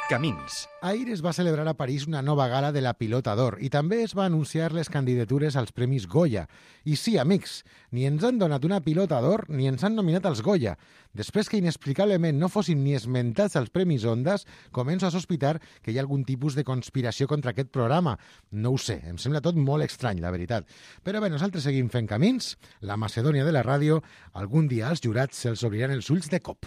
Camins. Ahir es va celebrar a París una nova gala de la Pilota d'Or i també es va anunciar les candidatures als Premis Goya. I sí, amics, ni ens han donat una Pilota d'Or ni ens han nominat als Goya. Després que inexplicablement no fossin ni esmentats als Premis Ondas, començo a sospitar que hi ha algun tipus de conspiració contra aquest programa. No ho sé, em sembla tot molt estrany, la veritat. Però bé, nosaltres seguim fent camins. La Macedònia de la ràdio, algun dia als jurats se'ls obriran els ulls de cop.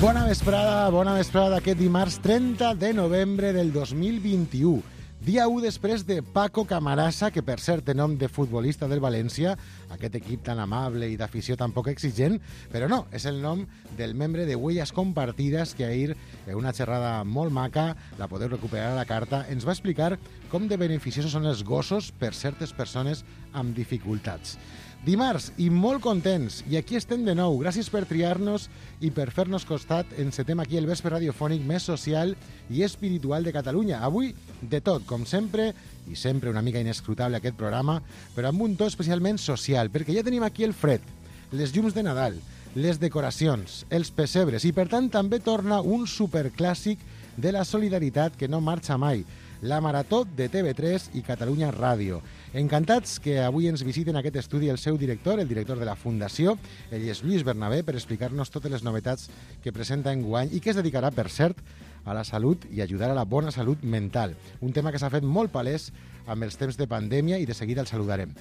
Bona vesprada d'aquest dimarts 30 de novembre del 2021. Dia 1 després de Paco Camarasa, que per cert té nom de futbolista del València, aquest equip tan amable i d'afició tan poc exigent, però no, és el nom del membre de Huellas Compartidas que ahir, en una xerrada molt maca, la podeu recuperar a la carta, ens va explicar com de beneficiosos són els gossos per certes persones amb dificultats. Dimarts, i molt contents, i aquí estem de nou. Gràcies per triar-nos i per fer-nos costat. Encetem aquí el vespre radiofònic més social i espiritual de Catalunya. Avui, de tot, com sempre, i sempre una mica inescrutable aquest programa, però amb un to especialment social, perquè ja tenim aquí el fred, les llums de Nadal, les decoracions, els pessebres, i per tant també torna un superclàssic de la solidaritat que no marxa mai, la Marató de TV3 i Catalunya Ràdio. Encantats que avui ens visiten aquest estudi el seu director, el director de la Fundació. Ell és Lluís Bernabé, per explicar-nos totes les novetats que presenta enguany i que es dedicarà, per cert, a la salut i ajudar a la bona salut mental. Un tema que s'ha fet molt palès amb els temps de pandèmia i de seguida el saludarem.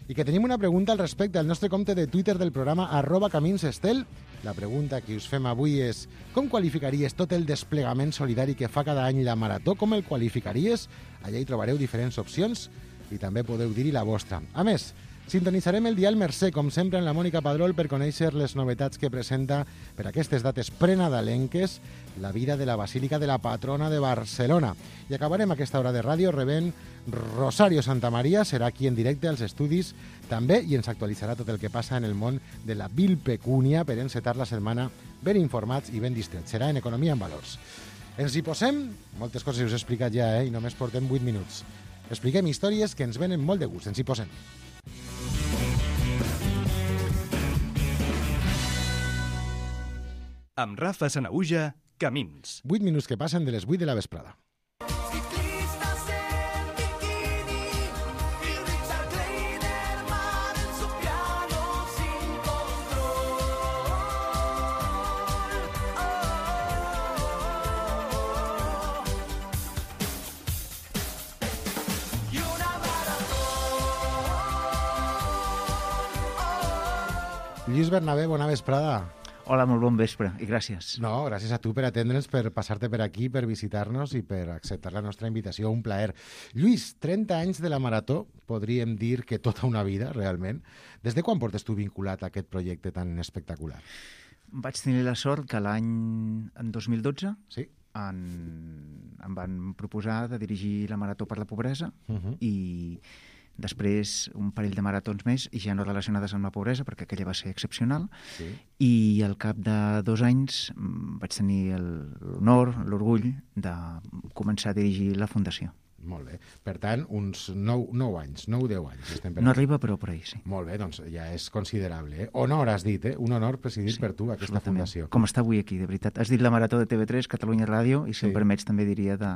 I que tenim una pregunta al respecte al nostre compte de Twitter del programa @caminsestel. La pregunta que us fem avui és: com qualificaries tot el desplegament solidari que fa cada any la Marató? Com el qualificaries? Allà hi trobareu diferents opcions i també podeu dir-hi la vostra. A més, sintonitzarem el dial Mercè, com sempre, en la Mònica Padrol per conèixer les novetats que presenta per aquestes dates prenadalenques la vida de la Basílica de la Patrona de Barcelona. I acabarem aquesta hora de ràdio rebent Rosario Santamaría, serà aquí en directe als estudis també i ens actualitzarà tot el que passa en el món de la vilpecúnia per encetar la setmana ben informats i ben distrets. Serà en Economia en Valors. Ens hi posem, moltes coses us he explicat ja, i només portem 8 minuts. Expliquem històries que ens venen molt de gust. Ens hi posem. Amb Rafa Sanaüja, Camins. 8 minuts que passen de les 8 de la vesprada. Lluís Bernabé, bona vesprada. Hola, molt bon vespre i gràcies. No, gràcies a tu per atendre'ns, per passar-te per aquí, per visitar-nos i per acceptar la nostra invitació. Un plaer. Lluís, 30 anys de la Marató, podríem dir que tota una vida, realment. Des de quan portes tu vinculat a aquest projecte tan espectacular? Vaig tenir la sort que en 2012 sí? em van proposar de dirigir la Marató per la Pobresa i després un parell de maratons més i ja no relacionades amb la pobresa perquè aquella va ser excepcional i al cap de 2 anys vaig tenir l'honor, l'orgull de començar a dirigir la Fundació. Molt bé. Per tant, uns 9 anys, 9-10 anys. No arriba, però per ahí, sí. Molt bé, doncs ja és considerable. Honor, has dit, un honor presidir per tu aquesta fundació. Com està avui aquí, de veritat. Has dit la Marató de TV3, Catalunya Ràdio, i si em permets també diria de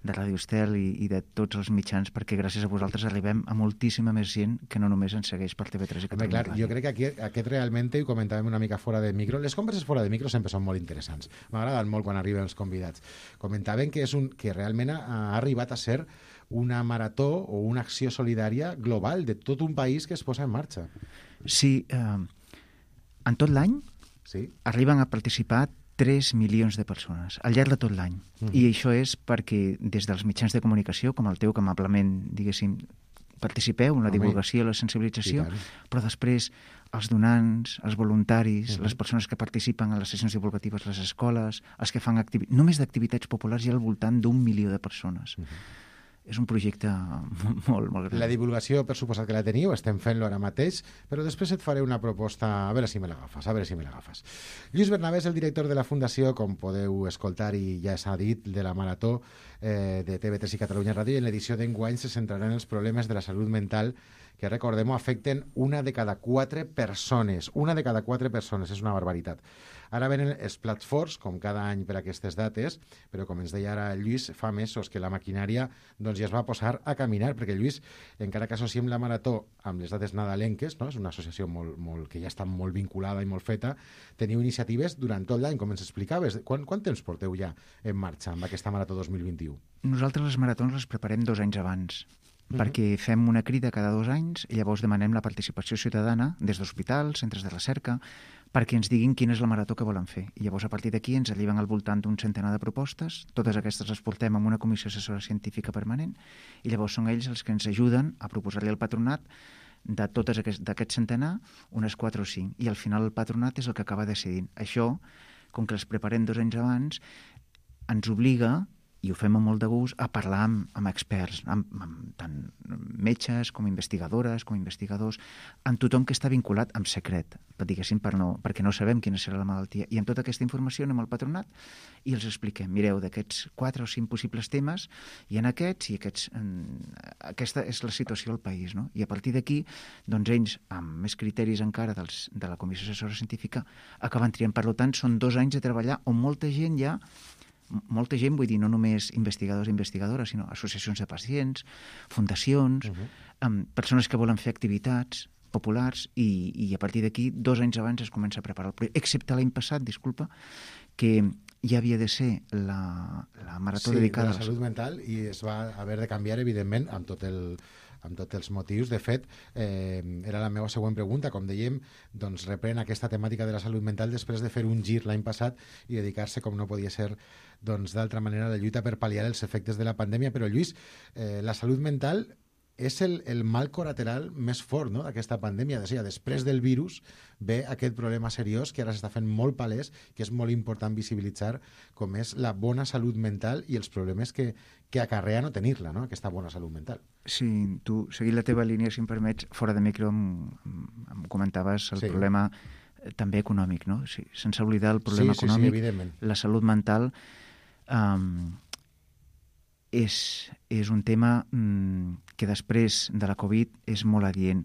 Ràdio Estel i de tots els mitjans, perquè gràcies a vosaltres arribem a moltíssima més gent que no només ens segueix per TV3 i Catalunya Ràdio. Jo crec que aquest realment, i ho comentàvem una mica fora de micro, les converses fora de micro sempre són molt interessants. M'agraden molt quan arriben els convidats. Comentaven que realment ha arribat a ser una marató o una acció solidària global de tot un país que es posa en marxa. Sí, en tot l'any arriben a participar 3 milions de persones al llarg de tot l'any. I això és perquè des dels mitjans de comunicació, com el teu, que amablement, diguéssim, participeu en la divulgació i la sensibilització, però després els donants, els voluntaris, les persones que participen en les sessions divulgatives, les escoles, els que fan només d'activitats populars hi ha al voltant d'1 milió de persones. És un projecte molt, molt gran. La divulgació, per suposat que la teniu, estem fent-lo ara mateix, però després et faré una proposta, a veure si me l'agafes. Lluís Bernabé és el director de la Fundació, com podeu escoltar i ja s'ha dit, de la Marató de TV3 i Catalunya Ràdio, i en l'edició d'enguany se centrarà en els problemes de la salut mental que que recordem-ho, afecten 1 de cada 4 persones. 1 de cada 4 persones, és una barbaritat. Ara venen els plats forts, com cada any per aquestes dates, però com ens deia ara el Lluís, fa mesos que la maquinària doncs, ja es va posar a caminar, perquè Lluís, encara que associem la marató amb les dates nadalenques, no? És una associació que ja està molt vinculada i molt feta, teniu iniciatives durant tot l'any, com ens explicaves. Quant temps porteu ja en marxa amb aquesta marató 2021? Nosaltres les maratons les preparem 2 anys abans, perquè fem una crida cada 2 anys i llavors demanem la participació ciutadana des d'hospitals, centres de recerca, perquè ens diguin quina és la marató que volen fer. I llavors, a partir d'aquí, ens arriben al voltant d'un centenar de propostes. Totes aquestes les portem amb una comissió assessora científica permanent i llavors són ells els que ens ajuden a proposar-li al patronat de totes d'aquest centenar, unes 4 o 5. I al final el patronat és el que acaba decidint. Això, com que les preparem 2 anys abans, ens obliga, i ho fem amb molt de gust, a parlar amb experts, amb tant metges com investigadores, com investigadors, amb tothom que està vinculat amb secret, diguéssim, perquè no sabem quina serà la malaltia. I amb tota aquesta informació anem al patronat i els expliquem, mireu, d'aquests 4 o 5 possibles temes, hi ha aquests i aquests... Aquesta és la situació al país, no? I a partir d'aquí, doncs ells, amb més criteris encara de la Comissió Assessora Científica, acaben triant. Per tant, són 2 anys de treballar on molta gent, vull dir, no només investigadors i investigadores, sinó associacions de pacients, fundacions, persones que volen fer activitats populars i a partir d'aquí 2 anys abans es comença a preparar el projecte. Excepte l'any passat, disculpa, que ja havia de ser la marató dedicada a la salut mental i es va haver de canviar, evidentment, amb tots els motius. De fet, era la meva següent pregunta. Com dèiem, doncs reprèn aquesta temàtica de la salut mental després de fer un gir l'any passat i dedicar-se, com no podia ser d'altra manera, a la lluita per pal·liar els efectes de la pandèmia. Però, Lluís, la salut mental és el mal col·lateral més fort, no?, d'aquesta pandèmia. Després del virus ve aquest problema seriós que ara s'està fent molt palès, que és molt important visibilitzar, com és la bona salut mental i els problemes que acarrea no tenir-la, no?, aquesta bona salut mental. Sí, tu, seguint la teva línia, si em permets, fora de micro em comentaves el problema també econòmic, no? Sí, sense oblidar el problema econòmic, evidentment. La salut mental és un tema que després de la Covid és molt adient.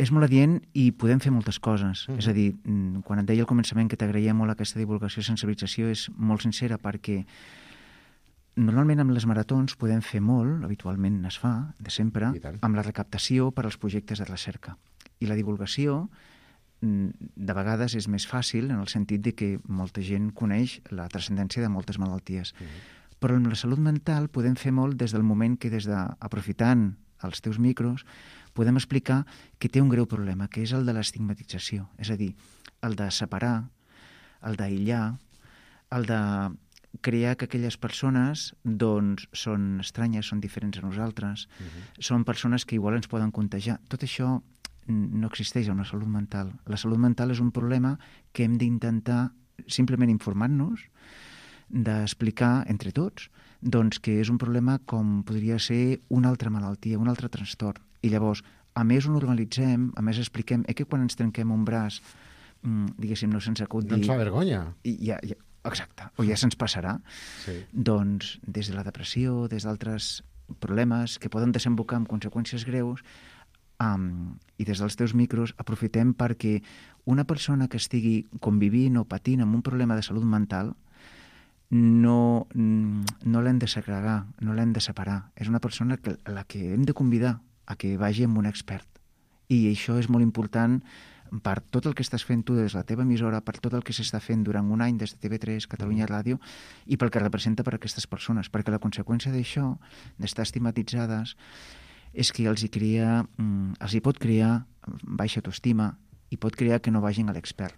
És molt adient i podem fer moltes coses. És a dir, quan et deia al començament que t'agraïa molt aquesta divulgació i sensibilització, és molt sincera, perquè normalment amb les maratons podem fer molt, habitualment es fa, de sempre, amb la recaptació per als projectes de recerca. I la divulgació de vegades és més fàcil en el sentit de que molta gent coneix la transcendència de moltes malalties. Però amb la salut mental podem fer molt des del moment que, aprofitant els teus micros, podem explicar que té un greu problema, que és el de l'estigmatització. És a dir, el de separar, el d'aïllar, el de crear que aquelles persones doncs, són estranyes, són diferents a nosaltres, són persones que igual ens poden contagiar. Tot això no existeix en la salut mental. La salut mental és un problema que hem d'intentar simplement informar-nos, d'explicar entre tots doncs, que és un problema com podria ser una altra malaltia, un altre trastorn. I llavors, a més ho normalitzem, a més expliquem que quan ens trenquem un braç, diguéssim, no se'ns acut dir... No ens fa vergonya. Exacte, o ja se'ns passarà. Sí. Doncs des de la depressió, des d'altres problemes que poden desembocar en conseqüències greus, i des dels teus micros aprofitem perquè una persona que estigui convivint o patint amb un problema de salut mental no l'hem de segregar, no l'hem de separar. És una persona a la que hem de convidar a que vagi amb un expert. I això és molt important per tot el que estàs fent tu des de la teva emissora, per tot el que s'està fent durant un any des de TV3, Catalunya Ràdio, i pel que representa per a aquestes persones. Perquè la conseqüència d'això, d'estar estigmatitzades, és que els hi pot crear baixa autoestima i pot crear que no vagin a l'expert.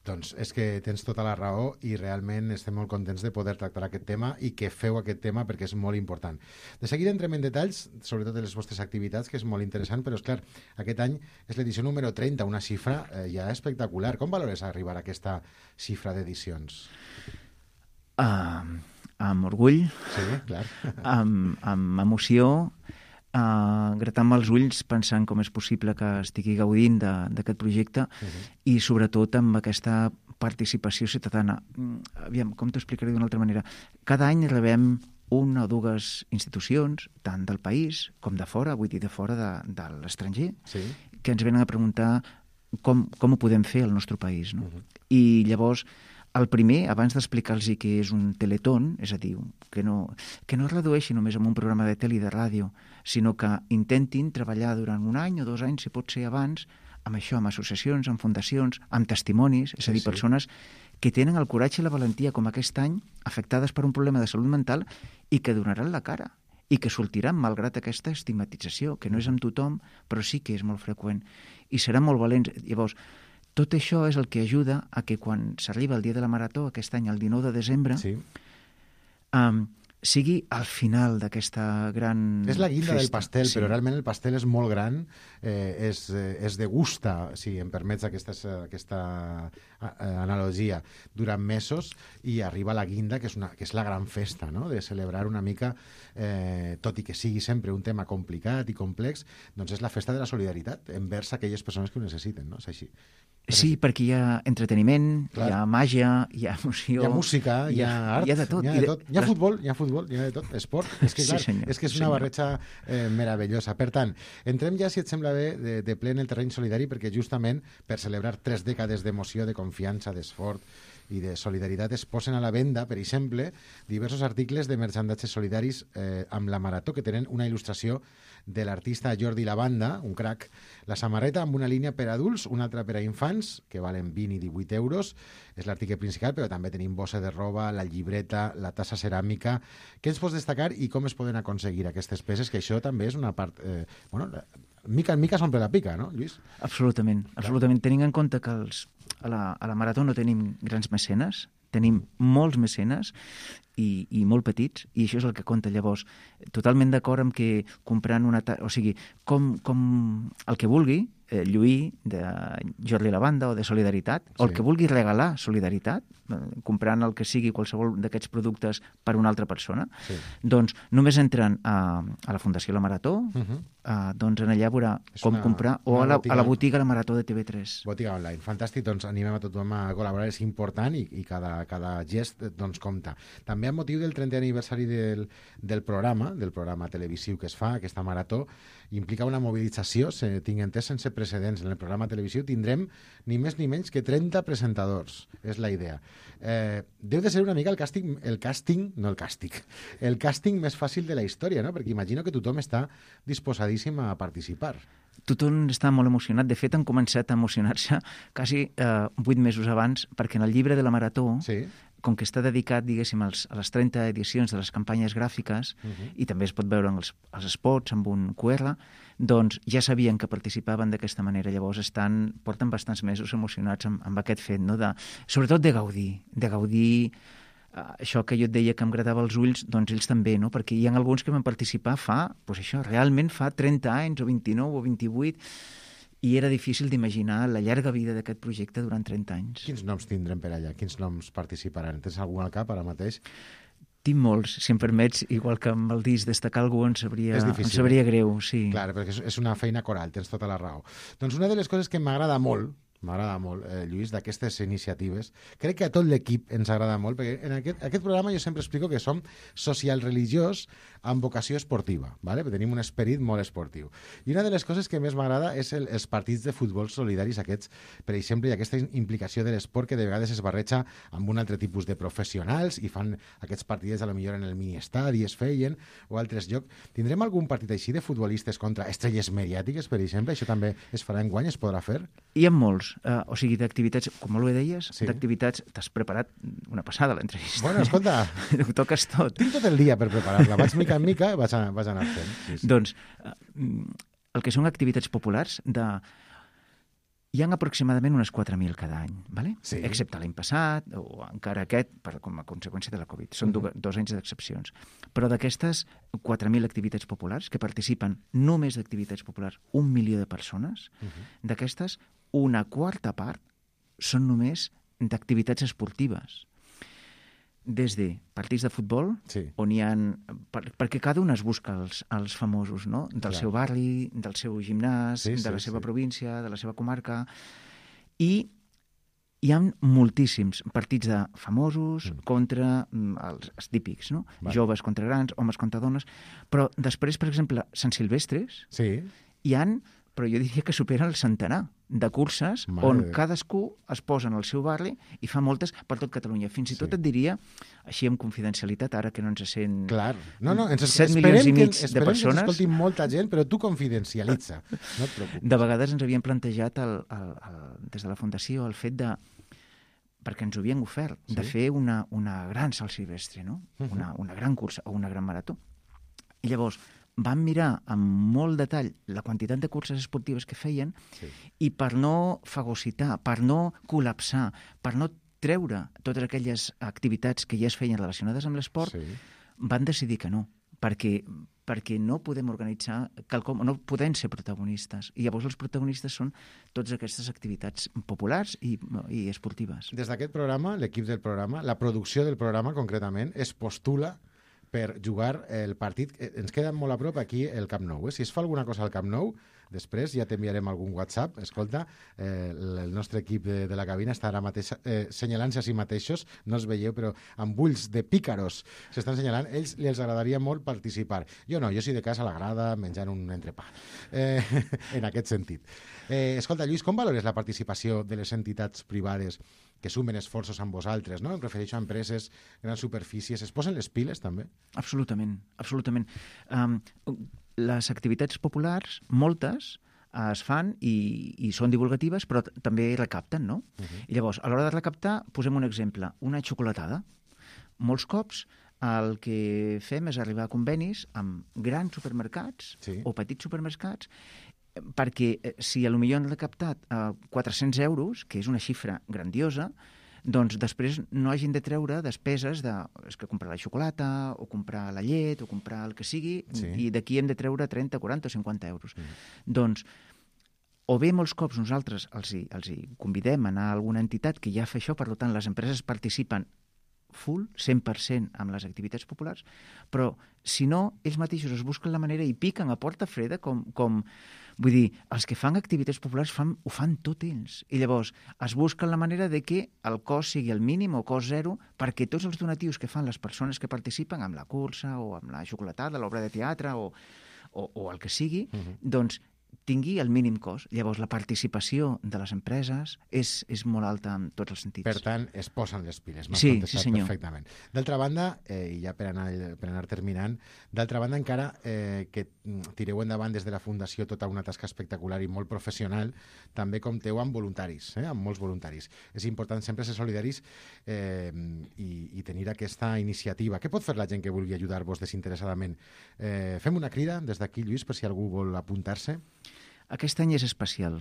Doncs és que tens tota la raó i realment estem molt contents de poder tractar aquest tema i que feu aquest tema perquè és molt important. De seguida entrem en detalls, sobretot de les vostres activitats, que és molt interessant, però és clar, aquest any és l'edició número 30, una xifra ja espectacular. Com valores arribar a aquesta xifra d'edicions? Amb orgull, sí, clar. amb emoció, gratant-me els ulls pensant com és possible que estigui gaudint d'aquest projecte i sobretot amb aquesta participació ciutadana. Aviam, com t'ho explicaré d'una altra manera? Cada any rebem una o dues institucions, tant del país com de fora, vull dir de fora de l'estranger, que ens venen a preguntar com ho podem fer al nostre país. No? I llavors, el primer, abans d'explicar-los què és un teletón, és a dir, que no es redueixi només a un programa de tele i de ràdio, sinó que intentin treballar durant 1 any o 2 anys, si pot ser abans, amb això, amb associacions, amb fundacions, amb testimonis, és a dir, persones que tenen el coratge i la valentia, com aquest any, afectades per un problema de salut mental i que donaran la cara i que sortiran malgrat aquesta estigmatització, que no és amb tothom, però sí que és molt freqüent. I seran molt valents. Llavors, tot això és el que ajuda a que quan s'arriba el dia de la marató, aquest any, el 19 de desembre, sigui al final d'aquesta gran És la guinda festa. del pastel, però realment el pastel és molt gran, es degusta, si em permets aquesta analogia, durant mesos, i arriba la guinda, que és la gran festa, no? De celebrar una mica, tot i que sigui sempre un tema complicat i complex, doncs és la festa de la solidaritat envers aquelles persones que ho necessiten, no? És així. Sí, perquè hi ha entreteniment, hi ha màgia, hi ha emoció... Hi ha música, hi ha art, hi ha de tot. Hi ha futbol, hi ha de tot, esport. És que, clar, és que és una barreja meravellosa. Per tant, entrem ja, si et sembla bé, de ple en el terreny solidari, perquè justament per celebrar 3 dècades d'emoció, de confiança, d'esforç i de solidaritat es posen a la venda, per exemple, diversos articles de merchandatges solidaris amb la Marató, que tenen una il·lustració de l'artista Jordi Lavanda, un crac, la samarreta amb una línia per adults, una altra per a infants, que valen 20 i 18 euros, és l'article principal, però també tenim bossa de roba, la llibreta, la tassa ceràmica. Què ens pots destacar i com es poden aconseguir aquestes peces? Que això també és una part... mica en mica s'omple la pica, no, Lluís? Absolutament. Tenint en compte que a la Marató no tenim grans mecenes, tenim molts mecenes i molt petits, i això és el que compta. Llavors, totalment d'acord amb que comprant o sigui, com el que vulgui, lluir de Jordi Lavanda o de Solidaritat, o el que vulgui regalar Solidaritat, comprant el que sigui qualsevol d'aquests productes per una altra persona, doncs només entren a la Fundació La Marató, doncs en allà veurà com comprar, o a la botiga La Marató de TV3. Botiga online, fantàstic, doncs animem a tothom a col·laborar, és important i cada gest doncs compta. També amb motiu del 30è aniversari del programa televisiu que es fa, aquesta Marató, implica una mobilització, tinc entès, sense precedents. En el programa televisiu tindrem ni més ni menys que 30 presentadors, és la idea. Deu de ser una mica el càsting més fàcil de la història, no? Perquè imagino que tothom està disposadíssim a participar. Tothom està molt emocionat. De fet, han començat a emocionar-se quasi 8 mesos abans, perquè en el llibre de la Marató, com que està dedicat, diguéssim, a les 30 edicions de les campanyes gràfiques, i també es pot veure en els spots amb un QR, doncs ja sabien que participaven d'aquesta manera. Llavors porten bastants mesos emocionats amb aquest fet, no? Sobretot de gaudir això que jo et deia que em agradava els ulls, doncs ells també, no? Perquè hi ha alguns que van participar realment fa 30 anys, o 29 o 28, i era difícil d'imaginar la llarga vida d'aquest projecte durant 30 anys. Quins noms tindrem per allà? Quins noms participaran? Tens algun al cap ara mateix? Tinc molts, si em permets, igual que amb el disc destacar algú em sabria greu, sí. Clar, perquè és una feina coral, tens tota la raó. Doncs una de les coses que m'agrada molt, Lluís, d'aquestes iniciatives, crec que a tot l'equip ens agrada molt, perquè en aquest programa jo sempre explico que som social-religiós amb vocació esportiva, ¿vale? Tenim un esperit molt esportiu. I una de les coses que més m'agrada és els partits de futbol solidaris aquests, per exemple, i aquesta implicació de l'esport que de vegades es barreja amb un altre tipus de professionals i fan aquests partits a lo millor en el mini-estadi es feien, o altres llocs. Tindrem algun partit així de futbolistes contra estrelles mediàtiques, per exemple? Això també es farà enguany, es podrà fer? Hi ha molts. O sigui, d'activitats, com molt bé deies, d'activitats... T'has preparat una passada, l'entrevista. Bueno, escolta... Ho toques tot. Tinc tot el dia per preparar-la. Vaig mica en mica, vaig anar fent. Sí. Doncs, el que són activitats populars, hi ha aproximadament unes 4.000 cada any, ¿vale? Sí. Excepte l'any passat, o encara aquest, com a conseqüència de la Covid. Són 2 anys d'excepcions. Però d'aquestes 4.000 activitats populars, que participen només d'activitats populars 1 milió de persones, d'aquestes, una quarta part són només d'activitats esportives. Des de partits de futbol, on hi ha... Perquè cada un es busca els famosos, no? Del seu barri, del seu gimnàs, de la seva província, de la seva comarca. I hi ha moltíssims partits de famosos contra els típics, no? Joves contra grans, homes contra dones, però després, per exemple, Sant Silvestres, hi han, però jo diria que superen el centenar de curses on cadascú es posa en el seu barri i fa moltes per tot Catalunya. Fins i tot et diria, així amb confidencialitat, ara que no ens sent... Clar. No, 7 milions i mig de persones... Esperem que ens escolti molta gent, però tu confidencialitza. No et preocupis. De vegades ens havien plantejat des de la Fundació el fet de, perquè ens ho havien ofert, de fer una gran Sant Silvestre, no? Una gran cursa o una gran marató. I llavors vam mirar amb molt detall la quantitat de curses esportives que feien i per no fagocitar, per no col·lapsar, per no treure totes aquelles activitats que ja es feien relacionades amb l'esport, van decidir que no, perquè no podem organitzar quelcom, no podem ser protagonistes. I llavors els protagonistes són totes aquestes activitats populars i esportives. Des d'aquest programa, l'equip del programa, la producció del programa concretament, es postula per jugar el partit. Ens queda molt a prop aquí el Camp Nou. Si es fa alguna cosa al Camp Nou, després ja t'enviarem algun WhatsApp. Escolta, el nostre equip de la cabina està ara mateix senyalant-se a si mateixos, no els veieu, però amb ulls de pícaros s'estan senyalant. Ells els agradaria molt participar. Jo no, jo sí de casa a la grada, menjant un entrepà. En aquest sentit. Escolta, Lluís, com valores la participació de les entitats privades que sumen esforços amb vosaltres, no? Em refereixo a empreses, grans superfícies. Es posen les piles, també? Absolutament, absolutament. Les activitats populars, moltes, es fan i són divulgatives, però també recapten, no? I llavors, a l'hora de recaptar, posem un exemple, una xocolatada. Molts cops el que fem és arribar a convenis amb grans supermercats o petits supermercats, perquè si potser han recaptat 400 euros, que és una xifra grandiosa, doncs després no hagin de treure despeses de comprar la xocolata o comprar la llet o comprar el que sigui, i d'aquí hem de treure 30, 40 o 50 euros. Doncs o bé molts cops nosaltres els hi convidem a anar a alguna entitat que ja fa això, per tant les empreses participen full, 100% amb les activitats populars, però si no, ells mateixos es busquen la manera i piquen a porta freda com vull dir, els que fan activitats populars ho fan tot ells. I llavors es busquen la manera de que el cost sigui el mínim o cost zero, perquè tots els donatius que fan les persones que participen amb la cursa o amb la xocolatada, l'obra de teatre o el que sigui, doncs tingui el mínim cost. Llavors, la participació de les empreses és molt alta en tots els sentits. Per tant, es posen les piles. M'has contestat perfectament. D'altra banda, i ja per anar terminant, d'altra banda, encara que tireu endavant des de la Fundació tota una tasca espectacular i molt professional, també compteu amb voluntaris, amb molts voluntaris. És important sempre ser solidaris i tenir aquesta iniciativa. Què pot fer la gent que vulgui ajudar-vos desinteressadament? Fem una crida des d'aquí, Lluís, per si algú vol apuntar-se. Aquest any és especial.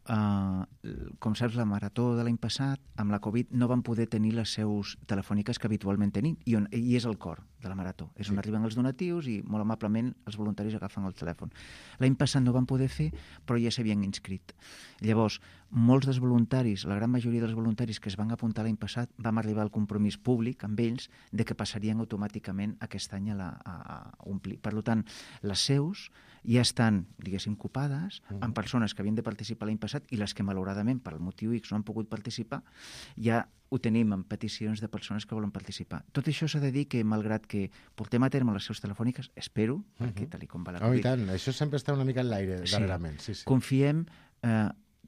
Com saps, la marató de l'any passat, amb la Covid, no van poder tenir les seus telefòniques que habitualment tenim, i és el cor de la marató. És on arriben els donatius i molt amablement els voluntaris agafen el telèfon. L'any passat no van poder fer, però ja s'havien inscrit. Llavors, molts dels voluntaris, la gran majoria dels voluntaris que es van apuntar l'any passat, vam arribar al compromís públic amb ells de que passarien automàticament aquest any a omplir. Per tant, les seus ja estan, diguéssim, copades amb persones que havien de participar l'any passat i les que, malauradament, per el motiu X no han pogut participar, ja ho tenim en peticions de persones que volen participar. Tot això s'ha de dir que, malgrat que portem a terme les seus telefòniques, espero, perquè tal com va la Covid... I tant, això sempre està una mica en l'aire, darrerament. Sí. Confiem...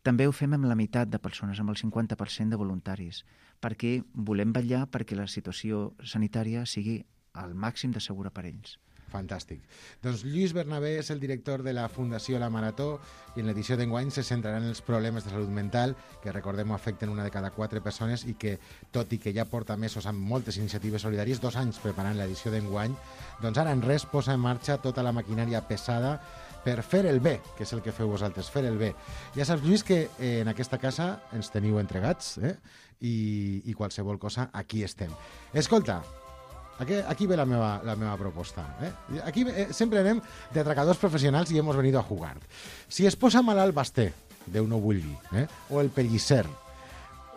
També ho fem amb la meitat de persones, amb el 50% de voluntaris, perquè volem vetllar perquè la situació sanitària sigui al màxim de segura per ells. Fantàstic. Doncs Lluís Bernabé és el director de la Fundació La Marató i en l'edició d'enguany se centrarà en els problemes de salut mental que, recordem, afecten una de cada 4 persones i que, tot i que ja porta mesos amb moltes iniciatives solidàries, 2 anys preparant l'edició d'enguany, doncs ara en res posa en marxa tota la maquinària pesada per fer el bé, que és el que feu vosaltres, fer el bé. Ja saps, Lluís, que en aquesta casa ens teniu entregats i qualsevol cosa, aquí estem. Escolta, aquí ve la meva proposta. Aquí sempre anem d'atracadors professionals i hemos venido a jugar. Si es posa malalt Basté, Déu no vulgui, o el Pellicer,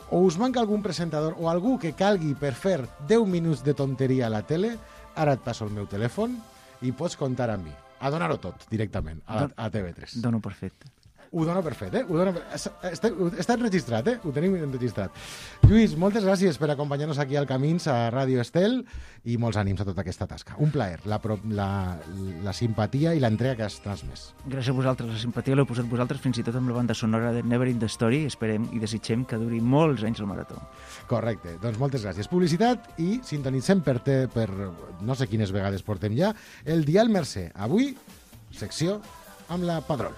o us manca algun presentador o algú que calgui per fer 10 minuts de tonteria a la tele, ara et passo el meu telèfon i pots comptar amb mi. A donar-ho tot, directament, a TV3. Dono per fet. Ho dono per fet, Està enregistrat, Ho tenim enregistrat. Lluís, moltes gràcies per acompanyar-nos aquí al Camins, a Ràdio Estel, i molts ànims a tota aquesta tasca. Un plaer, la simpatia i l'entrega que has transmès. Gràcies a vosaltres, la simpatia l'heu posat vosaltres, fins i tot amb la banda sonora de Never in the Story. Esperem i desitgem que duri molts anys el marató. Correcte, doncs moltes gràcies. Publicitat i sintonitzem per no sé quines vegades portem ja, el Dial Mercè. Avui, secció amb la Padrol.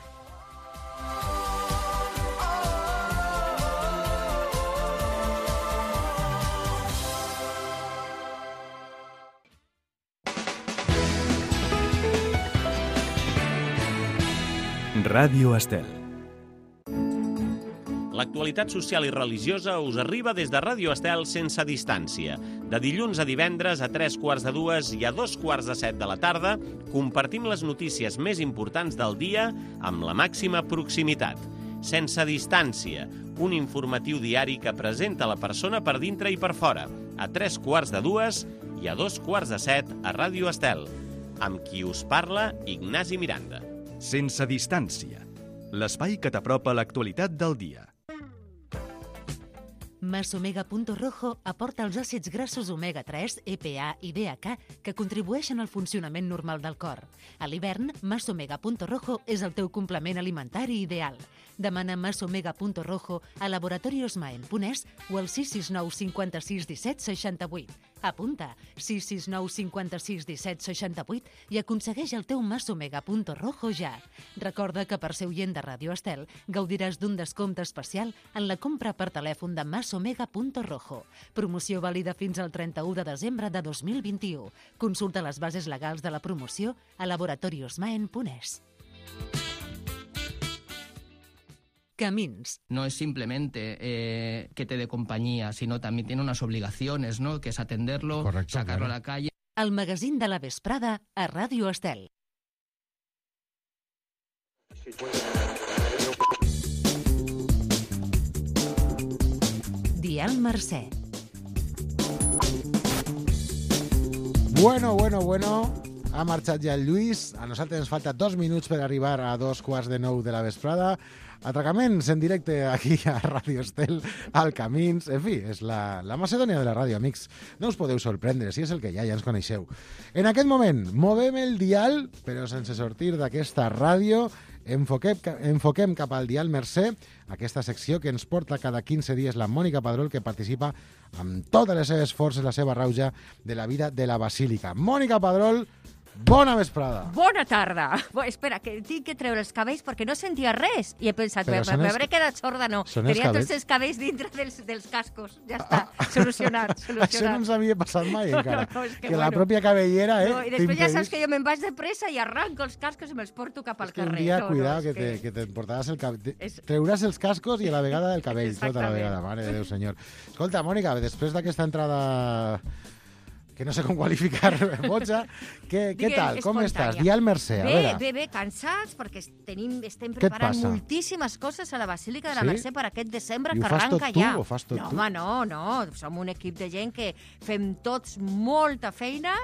Ràdio Estel. L'actualitat social i religiosa us arriba des de Ràdio Estel sense distància. De dilluns a divendres a 3:45 i a 2:45 de la tarda compartim les notícies més importants del dia amb la màxima proximitat. Sense distància, un informatiu diari que presenta la persona per dintre i per fora, a 3:45 i a 2:45 a Ràdio Estel. Amb qui us parla, Ignasi Miranda. Sense distància. L'espai que t'apropa l'actualitat del dia. Masomega.rojo aporta els àcids grassos omega-3, EPA i DHA que contribueixen al funcionament normal del cor. A l'hivern, Masomega.rojo és el teu complement alimentari ideal. Demana Masomega.rojo a laboratoriosmaen.es o al 669 56 17 68. Apunta 669 56 17 68 i aconsegueix el teu Masomega.rojo ja. Recorda que per ser oient de Ràdio Estel gaudiràs d'un descompte especial en la compra per telèfon de Masomega.rojo. Promoció vàlida fins al 31 de desembre de 2021. Consulta les bases legals de la promoció a laboratoriosmaen.es. Camins. No es simplemente que te dé compañía, sino también tiene unas obligaciones, ¿no? Que es atenderlo, correcto, sacarlo claro. a la calle. El magazín de la vesprada a Ràdio Estel. Dial Mercè. Bueno. Ha marxat ja el Lluís. A nosaltres ens falta 2 minuts per arribar a 2:45 de la vesprada. Atracaments en directe aquí a Ràdio Estel, al Camins. En fi, és la Macedònia de la ràdio, amics. No us podeu sorprendre, si és el que ja ens coneixeu. En aquest moment, movem el dial, però sense sortir d'aquesta ràdio. Enfoquem cap al Dial Mercè, aquesta secció que ens porta cada 15 dies la Mònica Padrol, que participa amb totes les seves forces, la seva rauja de la vida de la Basílica. Mònica Padrol, bona vesprada. Bona tarda. Espera, que tinc que treure els cabells perquè no sentia res. I he pensat, m'hauré quedat sorda, no. Tenia tots els cabells dintre dels cascos. Ja està, solucionat. Això no ens havia passat mai encara. No, que la pròpia cabellera, no, i després ja saps que jo me'n vaig de pressa i arranco els cascos i me'ls porto cap al carrer. Un dia, cuidado, que te portaràs el cabell. Treuràs els cascos i a la vegada el cabell, tota la vegada. Mare de Déu, senyor. Escolta, Mònica, després d'aquesta entrada que no sé com qualificar, Botja, què tal? Com estàs? Dial Mercè, a veure. Bé, cansats, perquè estem preparant moltíssimes coses a la Basílica de la Mercè per aquest desembre que arranca ja. I ho fas tot tu o fas tot tu? No, som un equip de gent que fem tots molta feina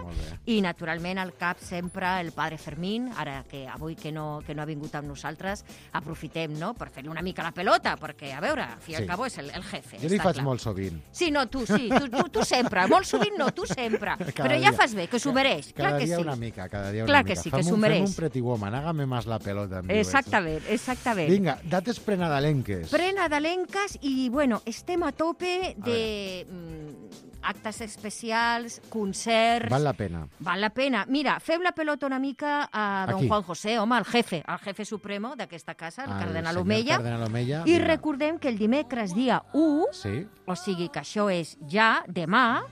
i, naturalment, al cap sempre el padre Fermín, ara que avui que no ha vingut amb nosaltres, aprofitem, no?, per fer-li una mica la pelota, perquè, a veure, al fi i al cabo és el jefe. Jo li faig molt sovint. Sí, no, tu sempre. Molt sovint no, tu sempre. Però ja fas bé, que s'ho mereix. Cada dia una mica. Clar que sí, que s'ho mereix. Fem un Pretty Woman, hágame más la pelota. Exactament. Vinga, dates prenadalenques. Prenadalenques i, bueno, estem a tope de actes especials, concerts... Val la pena. Val la pena. Mira, fem la pelota una mica a don Juan José, home, el jefe supremo d'aquesta casa, el cardenal Omeya. I recordem que el dimecres dia 1, o sigui que això és ja demà,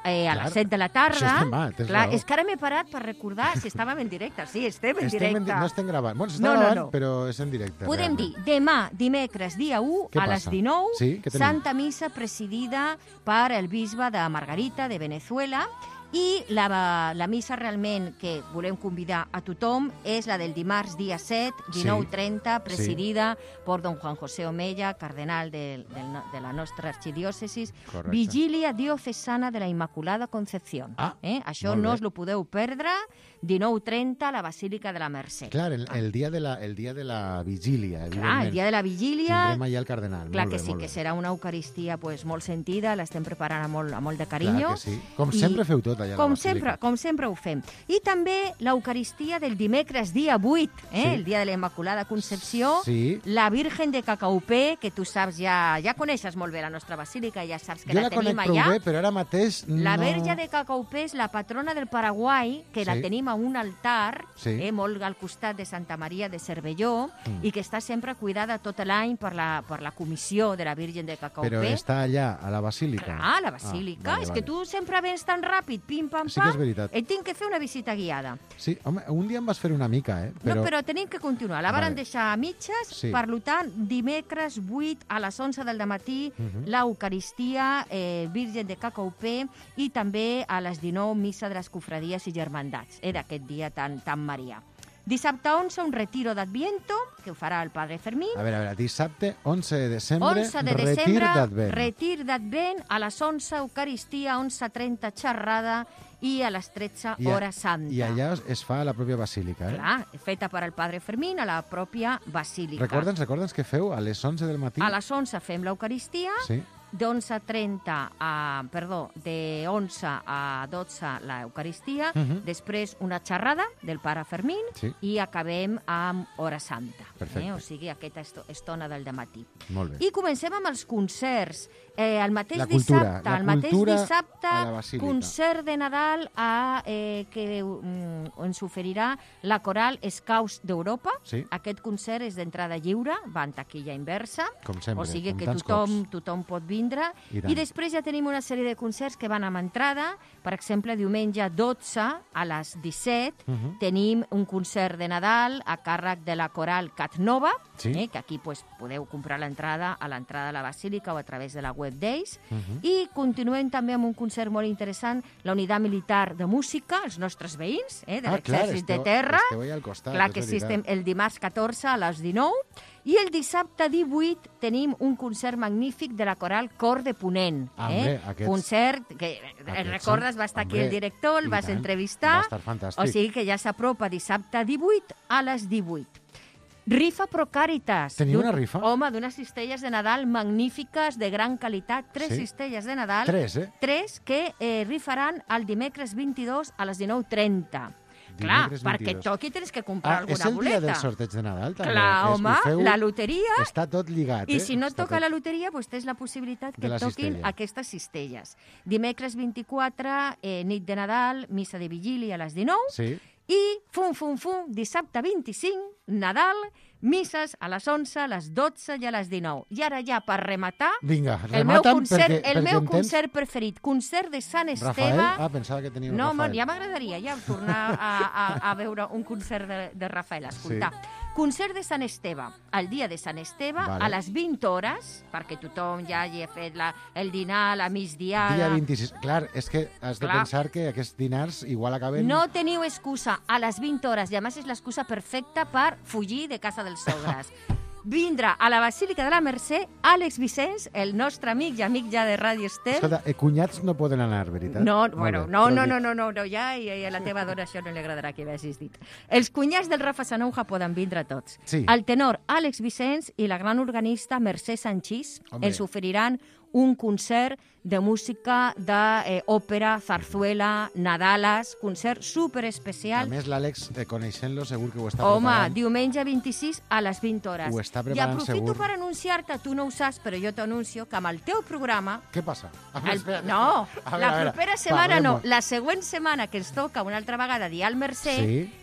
a les 7 de la tarda. Això és demà, tens raó. És que ara m'he parat per recordar si estàvem en directe. Sí, estem en directe. No estem gravant. Bueno, s'està gravant, però és en directe. Podem dir, demà, dimecres, dia 1, a les 19, Santa Missa presidida per el bisbe de Margarita, de Venezuela, I la missa realment que volem convidar a tothom és la del dimarts dia 7, 19:30, presidida per don Juan José Omella, cardenal de la nostra arxidiòcesis, Vigília Diocesana de la Immaculada Concepción. Això no us lo podeu perdre, 19:30 a la Basílica de la Mercè. Clar, el dia de la vigília, evidentment. Clar, el dia de la vigília... Tindrem allà el cardenal. Clar que sí, que serà una Eucaristia molt sentida, l'estem preparant amb molt de carinyo. Clar que sí. Com sempre feu tot allà a la Basílica. Com sempre ho fem. I també l'Eucaristia del dimecres dia 8, el dia de la Immaculada Concepció, la Virgen de Cacaupé, que tu saps, ja coneixes molt bé la nostra basílica, ja saps que la tenim allà. Jo la conec prou bé, però ara mateix no... La Verge de Cacaupé és la patrona del Paraguai, que la tenim a un altar, molt al costat de Santa Maria de Cervelló, i que està sempre cuidada tot l'any per la comissió de la Virgen de Cacaupé. Però està allà, a la basílica? Clar, a la basílica. És que tu sempre vens tan ràpid, pim, pam, pam. Sí que és veritat. Et tinc que fer una visita guiada. Sí, home, un dia em vas fer una mica, No, però tenim que continuar. La varen deixar a mitges, per tant, dimecres 8 a les 11 del matí, l'Eucaristia, Virgen de Cacaupé, i també a les 19, missa de les cofradies i germandats, d'aquest dia tan marià. Dissabte 11, un retiro d'Adviento, que ho farà el Padre Fermín. A veure, dissabte 11 de desembre, retir d'Advent. Retir d'Advent, a les 11, Eucaristia, 11:30, xerrada, i a les 13, hora santa. I allà es fa a la pròpia basílica, Clar, feta per el Padre Fermín a la pròpia basílica. Recorda'ns què feu a les 11 del matí? A les 11 fem l'Eucaristia, de 11 a 12 l'Eucaristia, després una xerrada del Pare Fermín i acabem amb hora santa. O sigui, aquesta estona del dematí. Molt bé. I comencem amb els concerts. El mateix dissabte, concert de Nadal que ens oferirà la Coral Scouts d'Europa. Aquest concert és d'entrada lliure, va en taquilla inversa, o sigui que tothom pot vindre. I després ja tenim una sèrie de concerts que van amb entrada. Per exemple, diumenge 12 a les 17 tenim un concert de Nadal a càrrec de la Coral Catnova, que aquí podeu comprar l'entrada a l'entrada de la Basílica o a través de la web d'ells. I continuem també amb un concert molt interessant, la Unitat Militar de Música, els nostres veïns de l'Exèrcit de Terra. Clar que sí, estem el dimarts 14 a les 19. I el dissabte 18 tenim un concert magnífic de la Coral Cor de Ponent. Concert que, recordes, va estar aquí el director, el vas entrevistar. Va estar fantàstic. O sigui que ja s'apropa dissabte 18 a les 18. Rifa Pro Càritas. Teniu una rifa? Home, d'unes cistelles de Nadal magnífiques, de gran qualitat. 3 cistelles de Nadal. 3 que rifaran el dimecres 22 a les 19:30. Clar, perquè et toqui tens que comprar alguna boleta. És el dia del sorteig de Nadal, també? Clar, home, la loteria... Està tot lligat, I si no et toca la loteria, tens la possibilitat que et toquin aquestes cistelles. Dimecres 24, nit de Nadal, missa de vigília a les 19, i dissabte 25, Nadal, misses a les 11, a les 12 i a les 19. I ara ja, per rematar, el meu concert preferit, concert de Sant Esteve... Rafael? Pensava que tenia un Rafael. No, ja m'agradaria tornar a veure un concert de Rafael, escoltar. Concert de Sant Esteve, el dia de Sant Esteve, a les 20 hores, perquè tothom ja hagi fet el dinar, la migdiada... Dia 26. Clar, és que has de pensar que aquests dinars igual acaben... No teniu excusa, a les 20 hores, i a més és l'excusa perfecta per fugir de casa dels sogres. Vindrà a la Basílica de la Mercè Àlex Vicenç, el nostre amic i amic ja de Ràdio Estel. Escolta, cunyats no poden anar, veritat? No, ja a la teva dona això no li agradarà que vegis dit. Els cunyats del Rafa Sanonja poden vindre tots. El tenor Àlex Vicenç i la gran organista Mercè Sanchís ens oferiran un concert de música d'òpera, zarzuela, Nadales, concert superespecial. A més, l'Àlex, coneixent-lo, segur que ho està preparant. Home, diumenge 26 a les 20 hores. Ho està preparant, segur. I aprofito per anunciar-te, tu no ho saps, però jo t'anuncio que amb el teu programa... Què passa? No, la propera setmana no. La següent setmana que ens toca una altra vegada dir al Mercè,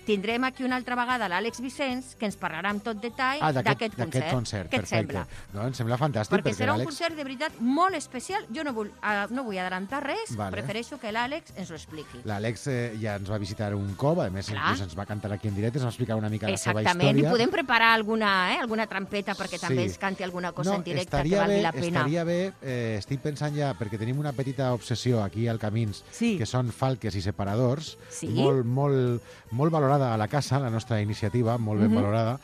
tindrem aquí una altra vegada l'Àlex Vicenç, que ens parlarà amb tot detall d'aquest concert. Què et sembla? No, em sembla fantàstic. Perquè serà un concert de veritat molt especial. Jo no vull adelantar res, prefereixo que l'Àlex ens ho expliqui. L'Àlex ja ens va visitar un cop, a més inclús ens va cantar aquí en directe, ens va explicar una mica la seva història. Exactament, i podem preparar alguna altra trampeta perquè també ens canti alguna cosa en directe que estaria valgui bé, la pena. Estaria bé, estic pensant ja, perquè tenim una petita obsessió aquí al Camins, que són falques i separadors, molt valorada a la casa, la nostra iniciativa, molt ben valorada.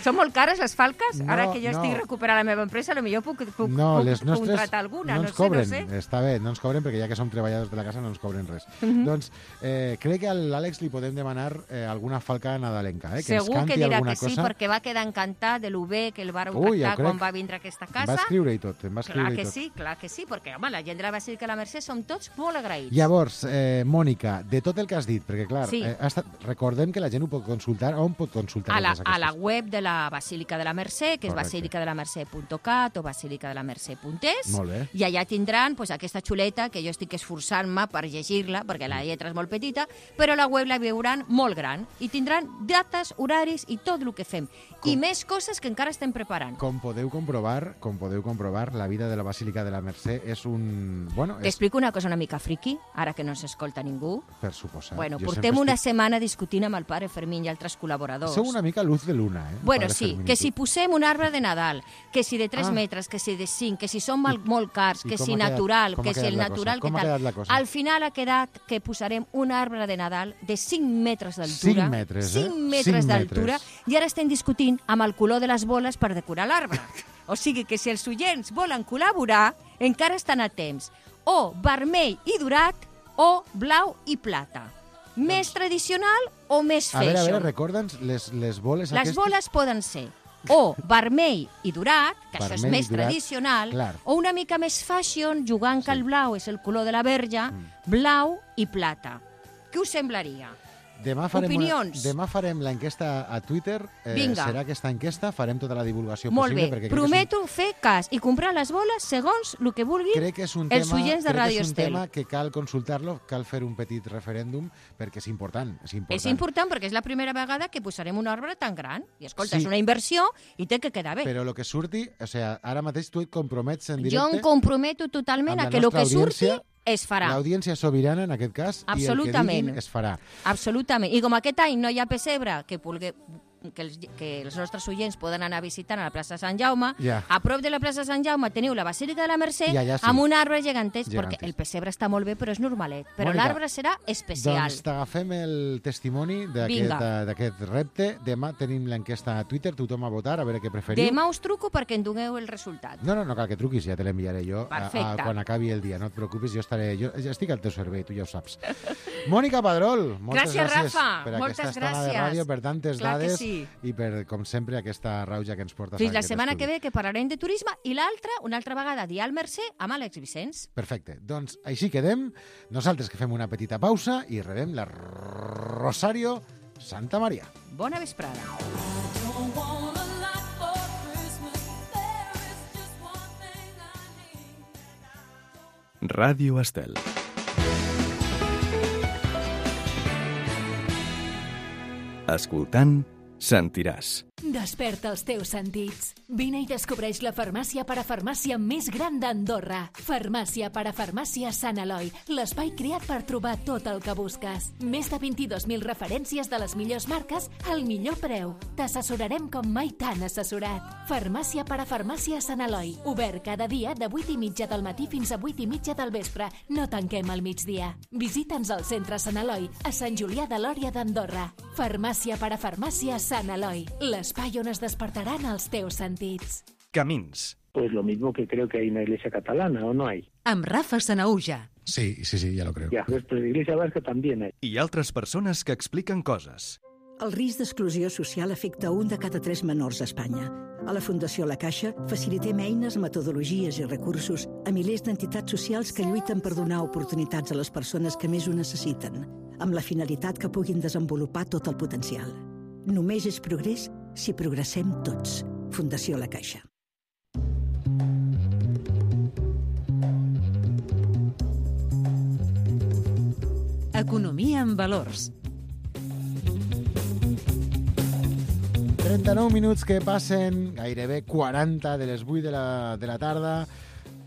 Són molt cares les falques? Ara que jo estic recuperant la meva empresa, potser puc contratar alguna, no ens cobren, està bé, no ens cobren perquè ja que som treballadors de la casa no ens cobren res. Doncs crec que a l'Àlex li podem demanar alguna falca nadalenca, que segur ens canti que dirà alguna que sí, cosa. perquè va quedar encantat de lo bé que el va tractar quan va vindre a aquesta casa. Em va escriure i tot, Clar que sí, perquè home, la gent de la Basílica de la Mercè som tots molt agraïts. Llavors, Mònica, de tot el que has dit, perquè clar, recordem que la gent ho pot consultar, on pot consultar? A la web de la Basílica de la Mercè, que és basílicadelamercè.cat o basílicadelamercè.es, i allà tindran aquesta xuleta que jo estic esforçant-me per llegir-la, perquè la lletra és molt petita, però la web la veuran molt gran i tindran dates, horaris i tot el que fem. I més coses que encara estem preparant. Com podeu comprovar, la vida de la Basílica de la Mercè és un... T'explico una cosa una mica friqui, ara que no s'escolta ningú. Per suposat. Portem una setmana discutint amb el pare Fermín i altres col·laboradors. Sou una mica luz de luna, Sí, que si posem un arbre de Nadal, que si de 3 metres, que si de 5, que si són molt cars, que si natural, que si el natural, que tal. Al final ha quedat que posarem un arbre de Nadal de 5 metres d'altura. 5 metres d'altura, i ara estem discutint amb el color de les boles per decorar l'arbre. O sigui que si els oients volen col·laborar, encara estan a temps. O vermell i dorat o blau i plata. Més tradicional o més fashion? A veure, recorda'ns les boles aquestes. Les boles poden ser o vermell i dorat, que això és més tradicional, o una mica més fashion, jugant que el blau és el color de la verge, blau i plata. Què us semblaria? Demà farem l'enquesta a Twitter. Serà aquesta enquesta, farem tota la divulgació possible. Molt bé, prometo fer cas i comprar les boles segons el que vulguin els oients de Radio Estel. És un tema que cal consultar-lo, cal fer un petit referèndum, perquè és important. És important perquè és la primera vegada que posarem un arbre tan gran. I escolta, és una inversió i té que quedar bé. Però el que surti, ara mateix tu et compromets en directe... Jo em comprometo totalment a que el que surti es farà. L'audiència sobirana, en aquest cas, i el que diguin es farà. Absolutament. I com aquest any no hi ha pessebre que els nostres oients poden anar visitant a la plaça Sant Jaume, a prop de la plaça Sant Jaume teniu la Basílica de la Mercè amb un arbre gegantesc, perquè el pessebre està molt bé, però és normalet. Però l'arbre serà especial. Doncs t'agafem el testimoni d'aquest repte. Demà tenim l'enquesta a Twitter, tothom a votar, a veure què preferiu. Demà us truco perquè en doneu el resultat. No cal que truquis, ja te l'enviaré jo quan acabi el dia. No et preocupis, jo estic al teu servei, tu ja ho saps. Mònica Padrol, moltes gràcies per aquesta estona de ràdio, per tantes dades i per, com sempre, aquesta rauja que ens portes. Fins la setmana que ve, que parlarem de turisme, i l'altra, una altra vegada, dia al Mercè, amb Àlex Vicenç. Perfecte. Doncs així quedem. Nosaltres que fem una petita pausa i rebem la Rosario Santa Maria. Bona vesprada. Ràdio Estel. Escoltant, sentiràs. Desperta els teus sentits. Vine i descobreix la farmàcia parafarmàcia més gran d'Andorra. Farmàcia parafarmàcia Sant Eloi, l'espai creat per trobar tot el que busques. Més de 22.000 referències de les millors marques al millor preu. T'assessorarem com mai t'han assessorat. Farmàcia parafarmàcia Sant Eloi. Obert cada dia de 8:30 del matí fins a 8:30 del vespre. No tanquem al migdia. Visita'ns al centre Sant Eloi, a Sant Julià de Lòria d'Andorra. Farmàcia parafarmàcia Sant Eloi, l'espai on es despertaran els teus sentits. Camins. Pues lo mismo que creo que hay una iglesia catalana, ¿o no hay? Amb Rafa Sanauja. Sí, ya lo creo. Ya, pues la iglesia vasca también hay. I altres persones que expliquen coses. El risc d'exclusió social afecta 1 de cada 3 menors a Espanya. A la Fundació La Caixa facilitem eines, metodologies i recursos a milers d'entitats socials que lluiten per donar oportunitats a les persones que més ho necessiten, amb la finalitat que puguin desenvolupar tot el potencial. Només és progrés si progressem tots. Fundació La Caixa. Economia en valors. 39 minuts que passen, gairebé 40 de les 8 de la tarda.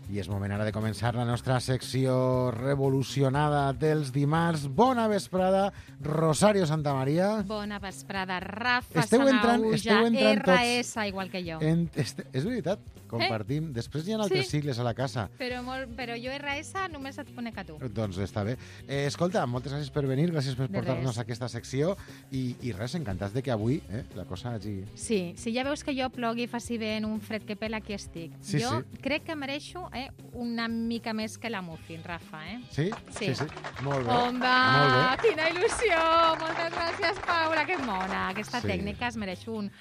I és moment ara de començar la nostra secció revolucionada dels dimarts. Bona vesprada, Rosario Santamaría. Bona vesprada, Rafa Sanauja, RS, igual que jo. És veritat, compartim. Després hi ha altres sigles a la casa. Però jo RS només et conec a tu. Doncs està bé. Escolta, moltes gràcies per venir, gràcies per portar-nos a aquesta secció i res, encantats de que avui la cosa hagi... Sí, si ja veus que jo plogui i faci vent un fred que pela, aquí estic. Jo crec que mereixo una mica més que la Muffin, Rafa, Sí? Sí. Molt bé. Onda, quina il·lusió! Moltes gràcies, Paula, que mona. Aquesta tècnica es mereix un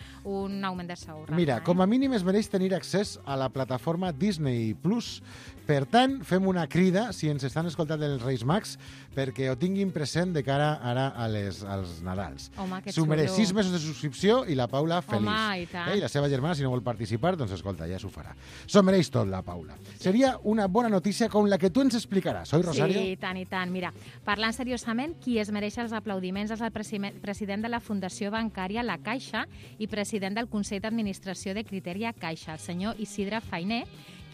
augment de sou, Rafa. Mira, com a mínim es mereix tenir accés a la plataforma Disney Plus. Per tant, fem una crida, si ens estan escoltant els Reis Mags, perquè ho tinguin present de cara ara als Nadals. Home, que xulo. S'ho mereix 6 mesos de subscripció i la Paula feliç. Home, i tant. I la seva germana, si no vol participar, doncs escolta, ja s'ho farà. S'ho mereix tot, la Paula. Seria una bona notícia com la que tu ens explicaràs, oi, Rosario? Sí, i tant. Mira, parlant seriosament, qui es mereix els aplaudiments és el president de la Fundació Bancària La Caixa i president del Consell d'Administració de Criteria Caixa, el senyor Isidre Fainé,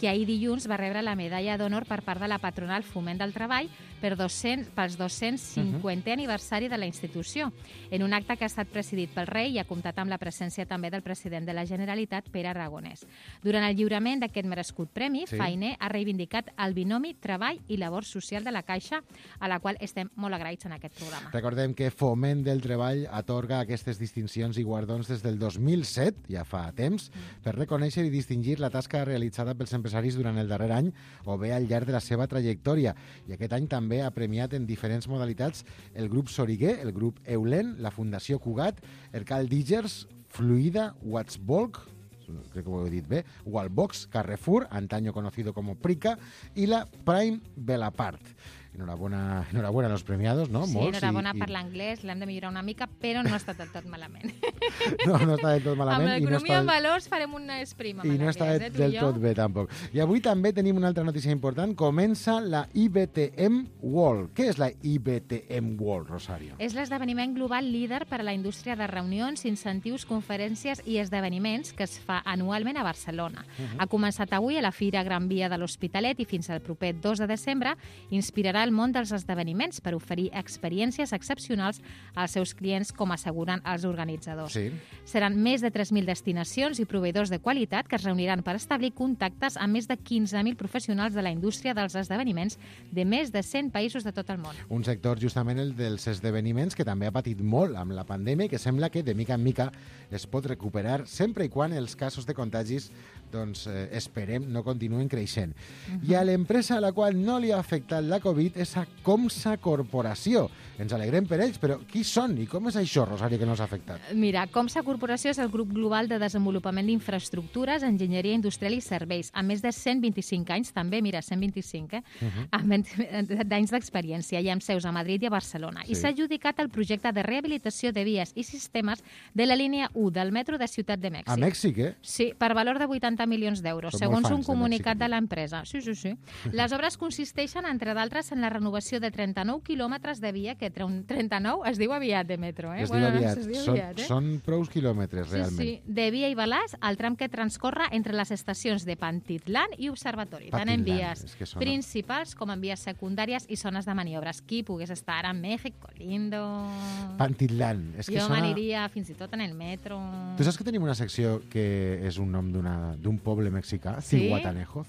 que ahir dilluns va rebre la medalla d'honor per part de la patronal Foment del Treball pels 250è aniversari de la institució, en un acte que ha estat presidit pel rei i ha comptat amb la presència també del president de la Generalitat, Pere Aragonès. Durant el lliurament d'aquest merescut premi, Fainé ha reivindicat el binomi treball i labor social de la Caixa, a la qual estem molt agraïts en aquest programa. Recordem que Foment del Treball atorga aquestes distincions i guardons des del 2007, ja fa temps, per reconèixer i distingir la tasca realitzada pels empresaris durant el darrer any o bé al llarg de la seva trajectòria. I aquest any també ha premiat en diferents modalitats el grup Soriguer, el grup Eulen, la Fundació Cugat, el Cal Dígers, Fluida, Watsbolk, crec que ho he dit bé, Wallbox, Carrefour, antaño conocido como Prica, i la Prime Belapart. Enhorabona a los premiados, no? Sí, enhorabona per l'anglès, l'hem de millorar una mica, però no està del tot malament. No està del tot malament. Amb l'economia en valors farem una esprima. I no està del tot bé, tampoc. I avui també tenim una altra notícia important. Comença la IBTM World. Què és la IBTM World, Rosario? És l'esdeveniment global líder per a la indústria de reunions, incentius, conferències i esdeveniments que es fa anualment a Barcelona. Ha començat avui a la Fira Gran Via de l'Hospitalet i fins al proper 2 de desembre inspirarà el món dels esdeveniments per oferir experiències excepcionals als seus clients, com asseguren els organitzadors. Seran més de 3.000 destinacions i proveïdors de qualitat que es reuniran per establir contactes amb més de 15.000 professionals de la indústria dels esdeveniments de més de 100 països de tot el món. Un sector, justament el dels esdeveniments, que també ha patit molt amb la pandèmia i que sembla que de mica en mica es pot recuperar sempre i quan els casos de contagis, doncs esperem, no continuen creixent. I a l'empresa a la qual no li ha afectat la Covid és a Comsa Corporació. Ens alegrem per ells, però qui són i com és això, Rosario, que no s'ha afectat? Mira, Comsa Corporació és el grup global de desenvolupament d'infraestructures, enginyeria industrial i serveis, amb més de 125 anys, també, mira, 125, d'anys d'experiència, i amb seus a Madrid i a Barcelona. I s'ha adjudicat el projecte de rehabilitació de vies i sistemes de la línia 1 del metro de Ciutat de Mèxic. A Mèxic, Sí, per valor de 80 milions d'euros, segons un comunicat de l'empresa. Sí. Les obres consisteixen, entre d'altres, en la renovació de 39 quilòmetres de via, que 39 es diu aviat de metro, Es diu aviat. Són prous quilòmetres, realment. Sí, de Via i Balàs, el tram que transcorre entre les estacions de Pantitlán i Observatori, tant en vies principals com en vies secundàries i zones de maniobres. Qui pogués estar a México, lindo. Pantitlán. Jo m'aniria fins i tot en el metro. Tu saps que tenim una secció que és un nom d'un poble mexicà? Zihuatanejo.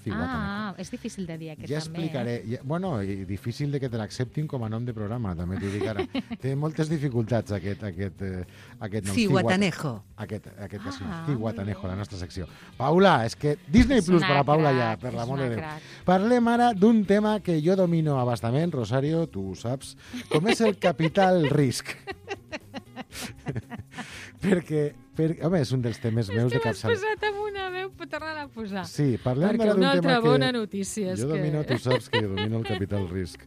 És difícil de dir aquest ja també. Explicaré. Bueno, i difícil de que te l'acceptin com a nom de programa, també t'ho dic ara. Té moltes dificultats aquest nom. Zihuatanejo. Aquest que sí, Zihuatanejo, la nostra secció. Paula, és que Disney Plus per a Paula ja, per l'amor de Déu. Parlem ara d'un tema que jo domino a bastament, Rosario, tu ho saps, com és el capital risc. perquè, home, és un dels temes meus de capçalera. És que m'has posat amb una veu, torna-la a posar. Sí, parlem perquè d'un tema que... una altra bona notícia. Jo domino, tu saps que jo domino el capital risc.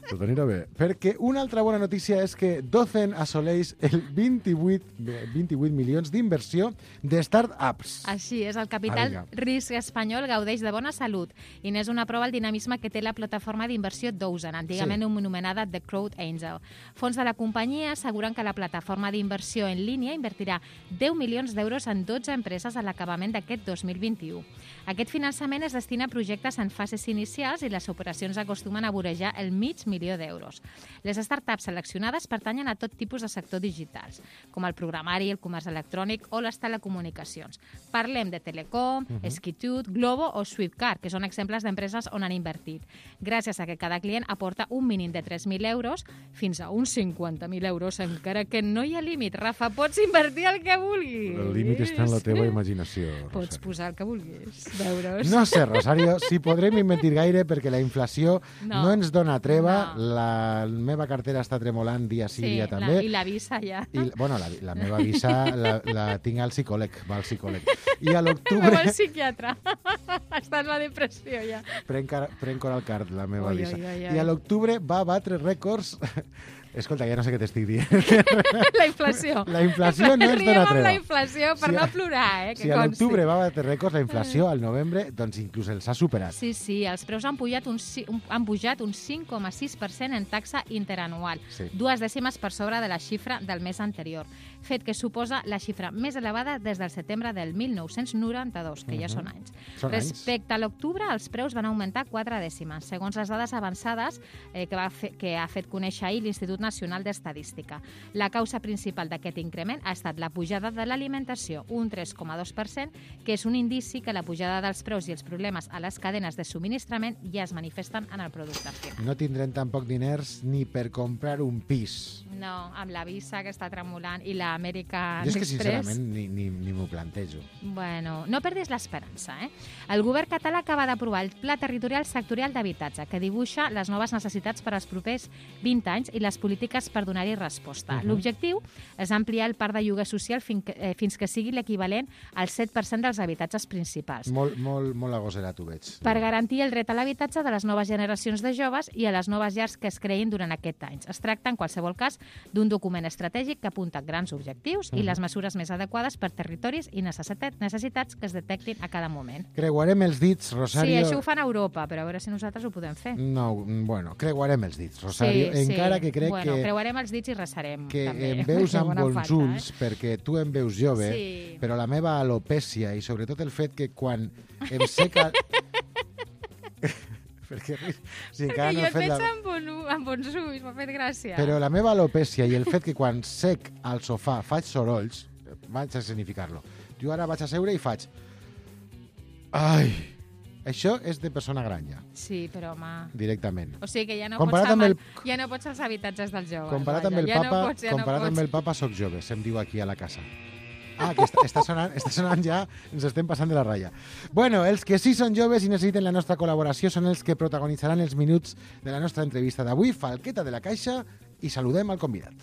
Tot anirà bé. Perquè una altra bona notícia és que Docen assoleix el 28 milions d'inversió de start-ups. Així és, el capital risc espanyol gaudeix de bona salut i n'és una prova el dinamisme que té la plataforma d'inversió Dozen, antigament anomenada The Crowd Angel. Fons de la companyia asseguren que la plataforma d'inversió en línia invertirà 10 milions d'euros en 12 empreses a l'acabament d'aquest 2021. Aquest finançament es destina a projectes en fases inicials i les operacions acostumen a vorejar el $500,000 d'euros. Les startups seleccionades pertanyen a tot tipus de sector digitals, com el programari, el comerç electrònic o les telecomunicacions. Parlem de Telecom, Skitut, Globo o Swiftcard, que són exemples d'empreses on han invertit. Gràcies a que cada client aporta un mínim de 3.000 euros fins a uns 50.000 euros, encara que no hi ha límit. Rafa, pots invertir el que vulguis. El límit està en la teva imaginació, Rosario. Pots posar el que vulguis d'euros. No sé, Rosario, si podrem invertir gaire perquè la inflació no ens dona treva. La meva cartera està tremolant dia sí, dia també. I la visa ja. Bueno, la meva visa la tinc al psicòleg, va al psicòleg. I a l'octubre... Va al psiquiatre. Està en la depressió ja. Prenc Oralcard, la meva visa. I a l'octubre va batre rècords... Escolta, ja no sé què t'estic dient. La inflació. La inflació no ens dona treva. Riem amb la inflació per no plorar, Si a l'octubre va batre rècords, la inflació al novembre doncs inclús els ha superat. Sí, els preus han pujat un 5,6% en taxa interanual, 2 dècimes per sobre de la xifra del mes anterior, fet que suposa la xifra més elevada des del setembre del 1992, que ja són anys. Respecte a l'octubre, els preus van augmentar 4 dècimes, segons les dades avançades que ha fet conèixer ahir l'Institut Nacional d'Estadística. La causa principal d'aquest increment ha estat la pujada de l'alimentació, un 3,2%, que és un indici que la pujada dels preus i els problemes a les cadenes de subministrament ja es manifesten en el producte final. No tindrem tampoc diners ni per comprar un pis. No, amb la visa que està tremolant i l'American Express... Jo és que sincerament ni m'ho plantejo. Bueno, no perdis l'esperança, eh? El govern català acaba d'aprovar el Pla Territorial Sectorial d'Habitatge, que dibuixa les noves necessitats per als propers 20 anys i les polítiques per donar-hi resposta. L'objectiu és ampliar el parc de lloguer social fins que sigui l'equivalent al 7% dels habitatges principals. Molt agoserat ho veig. Per garantir el dret a l'habitatge de les noves generacions de joves i a les noves llars que es creïn durant aquest any. Es tracta, en qualsevol cas, d'un document estratègic que apunta grans objectius i les mesures més adequades per territoris i necessitats que es detectin a cada moment. Creuarem els dits, Rosario... Sí, això ho fan a Europa, però a veure si nosaltres ho podem fer. No, bueno, creuarem els dits, Rosario, encara que crec que... Creuarem els dits i resarem, que també. em veus amb bons ulls, perquè tu em veus jove, però la meva alopècia i sobretot el fet que quan em seca... Perquè jo et veig amb bons ulls, m'ha fet gràcia. Però la meva alopècia i el fet que quan sec al sofà faig sorolls, vaig a escenificar-lo. Jo ara vaig a seure i faig... Ai... Això és de persona gran, ja. Sí, però, home... Directament. O sigui que ja no pots als habitatges dels joves. Comparat amb el papa, soc jove, se'm diu aquí a la casa. Que està sonant ja, ens estem passant de la ratlla. Bueno, els que sí són joves i necessiten la nostra col·laboració són els que protagonitzaran els minuts de la nostra entrevista d'avui. Falqueta de la Caixa, i saludem al convidat.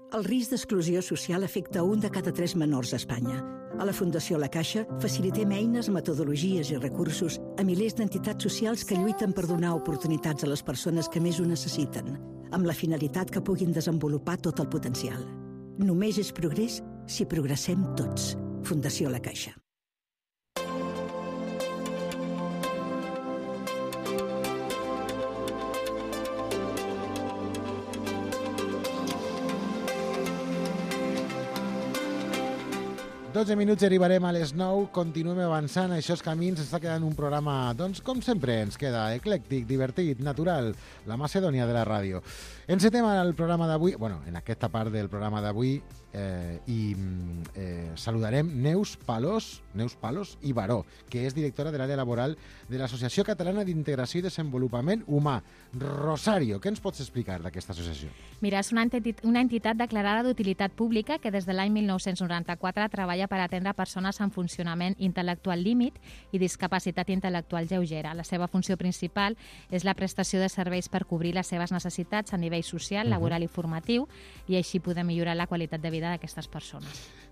El risc d'exclusió social afecta 1 de cada 3 menors a Espanya. A la Fundació La Caixa facilitem eines, metodologies i recursos a milers d'entitats socials que lluiten per donar oportunitats a les persones que més ho necessiten, amb la finalitat que puguin desenvolupar tot el potencial. Només és progrés si progressem tots. Fundació La Caixa. Dotze minuts arribarem a les 9, continuem avançant, això és Camins, està quedant un programa, doncs, com sempre ens queda, eclèctic, divertit, natural, la Macedònia de la ràdio. Encetem el programa d'avui, bueno, en aquesta part del programa d'avui, saludarem Neus Palos i Baró, que és directora de l'àrea laboral de l'Associació Catalana d'Integració i Desenvolupament Humà. Rosario, què ens pots explicar d'aquesta associació? Mira, és una entitat declarada d'utilitat pública que des de l'any 1994 treballa per atendre persones amb funcionament intel·lectual límit i discapacitat intel·lectual lleugera. La seva funció principal és la prestació de serveis per cobrir les seves necessitats a nivell social, laboral i formatiu, i així poder millorar la qualitat de vida d'aquestes persones.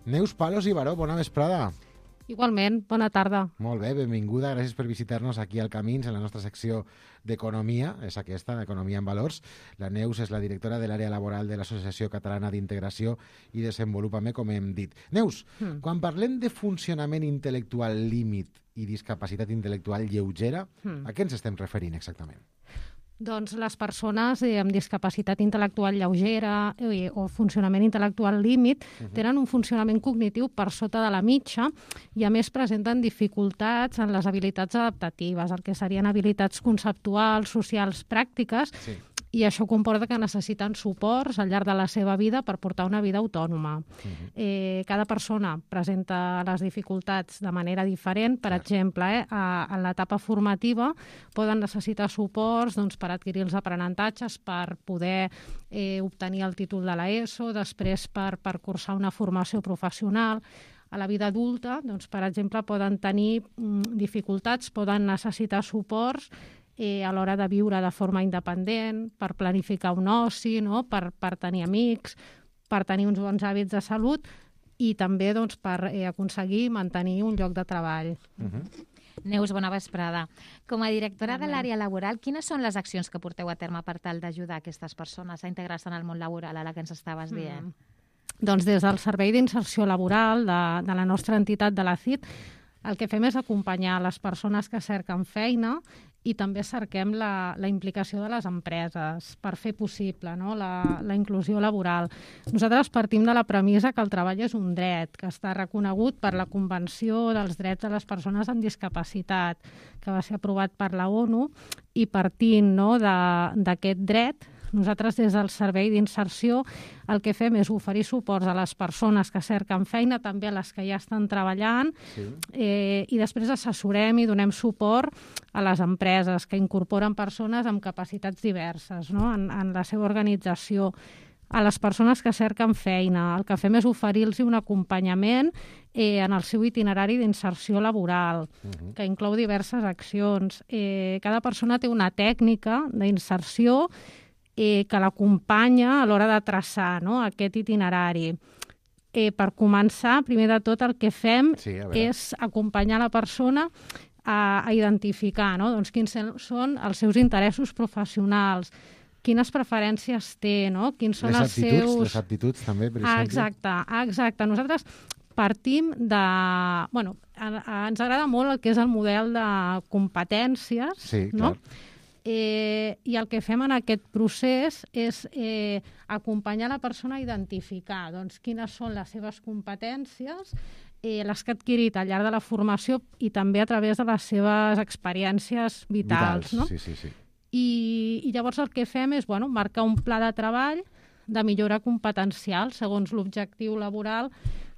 Neus Palos i Baró, bona vesprada. Igualment, bona tarda. Molt bé, benvinguda, gràcies per visitar-nos aquí al Camins, en la nostra secció d'Economia, és aquesta, Economia en Valors. La Neus és la directora de l'àrea laboral de l'Associació Catalana d'Integració i Desenvolupament, com hem dit. Neus, quan parlem de funcionament intel·lectual límit i discapacitat intel·lectual lleugera, a què ens estem referint exactament? Doncs les persones amb discapacitat intel·lectual lleugera o funcionament intel·lectual límit tenen un funcionament cognitiu per sota de la mitja i a més presenten dificultats en les habilitats adaptatives, el que serien habilitats conceptuals, socials, pràctiques, i això comporta que necessiten suports al llarg de la seva vida per portar una vida autònoma. Cada persona presenta les dificultats de manera diferent. Per exemple, en l'etapa formativa poden necessitar suports per adquirir els aprenentatges, per poder obtenir el títol de l'ESO, després per cursar una formació professional. A la vida adulta, per exemple, poden tenir dificultats, poden necessitar suports a l'hora de viure de forma independent, per planificar un oci, per tenir amics, per tenir uns bons hàbits de salut i també per aconseguir mantenir un lloc de treball. Neus, bona vesprada. Com a directora de l'àrea laboral, quines són les accions que porteu a terme per tal d'ajudar aquestes persones a integrar-se en el món laboral, a la que ens estaves dient? Doncs des del Servei d'Inserció Laboral de la nostra entitat de la CIT, el que fem és acompanyar les persones que cerquen feina i també cerquem la implicació de les empreses per fer possible la inclusió laboral. Nosaltres partim de la premissa que el treball és un dret, que està reconegut per la Convenció dels Drets de les Persones amb Discapacitat, que va ser aprovat per la ONU, i partint d'aquest dret, nosaltres des del Servei d'Inserció el que fem és oferir suports a les persones que cerquen feina, també a les que ja estan treballant, i després assessorem i donem suport a les empreses que incorporen persones amb capacitats diverses en la seva organització. A les persones que cerquen feina, el que fem és oferir-los un acompanyament en el seu itinerari d'inserció laboral, que inclou diverses accions. Cada persona té una tècnica d'inserció que l'acompanya a l'hora de traçar aquest itinerari. Per començar, primer de tot, el que fem és acompanyar la persona a identificar quins són els seus interessos professionals, quines preferències té, quins són els seus... Les aptituds, també, per exemple. Exacte. Nosaltres partim de... ens agrada molt el que és el model de competències, sí, clar. I el que fem en aquest procés és acompanyar la persona a identificar quines són les seves competències, les que ha adquirit al llarg de la formació i també a través de les seves experiències vitals. Sí. I llavors el que fem és marcar un pla de treball de millora competencial segons l'objectiu laboral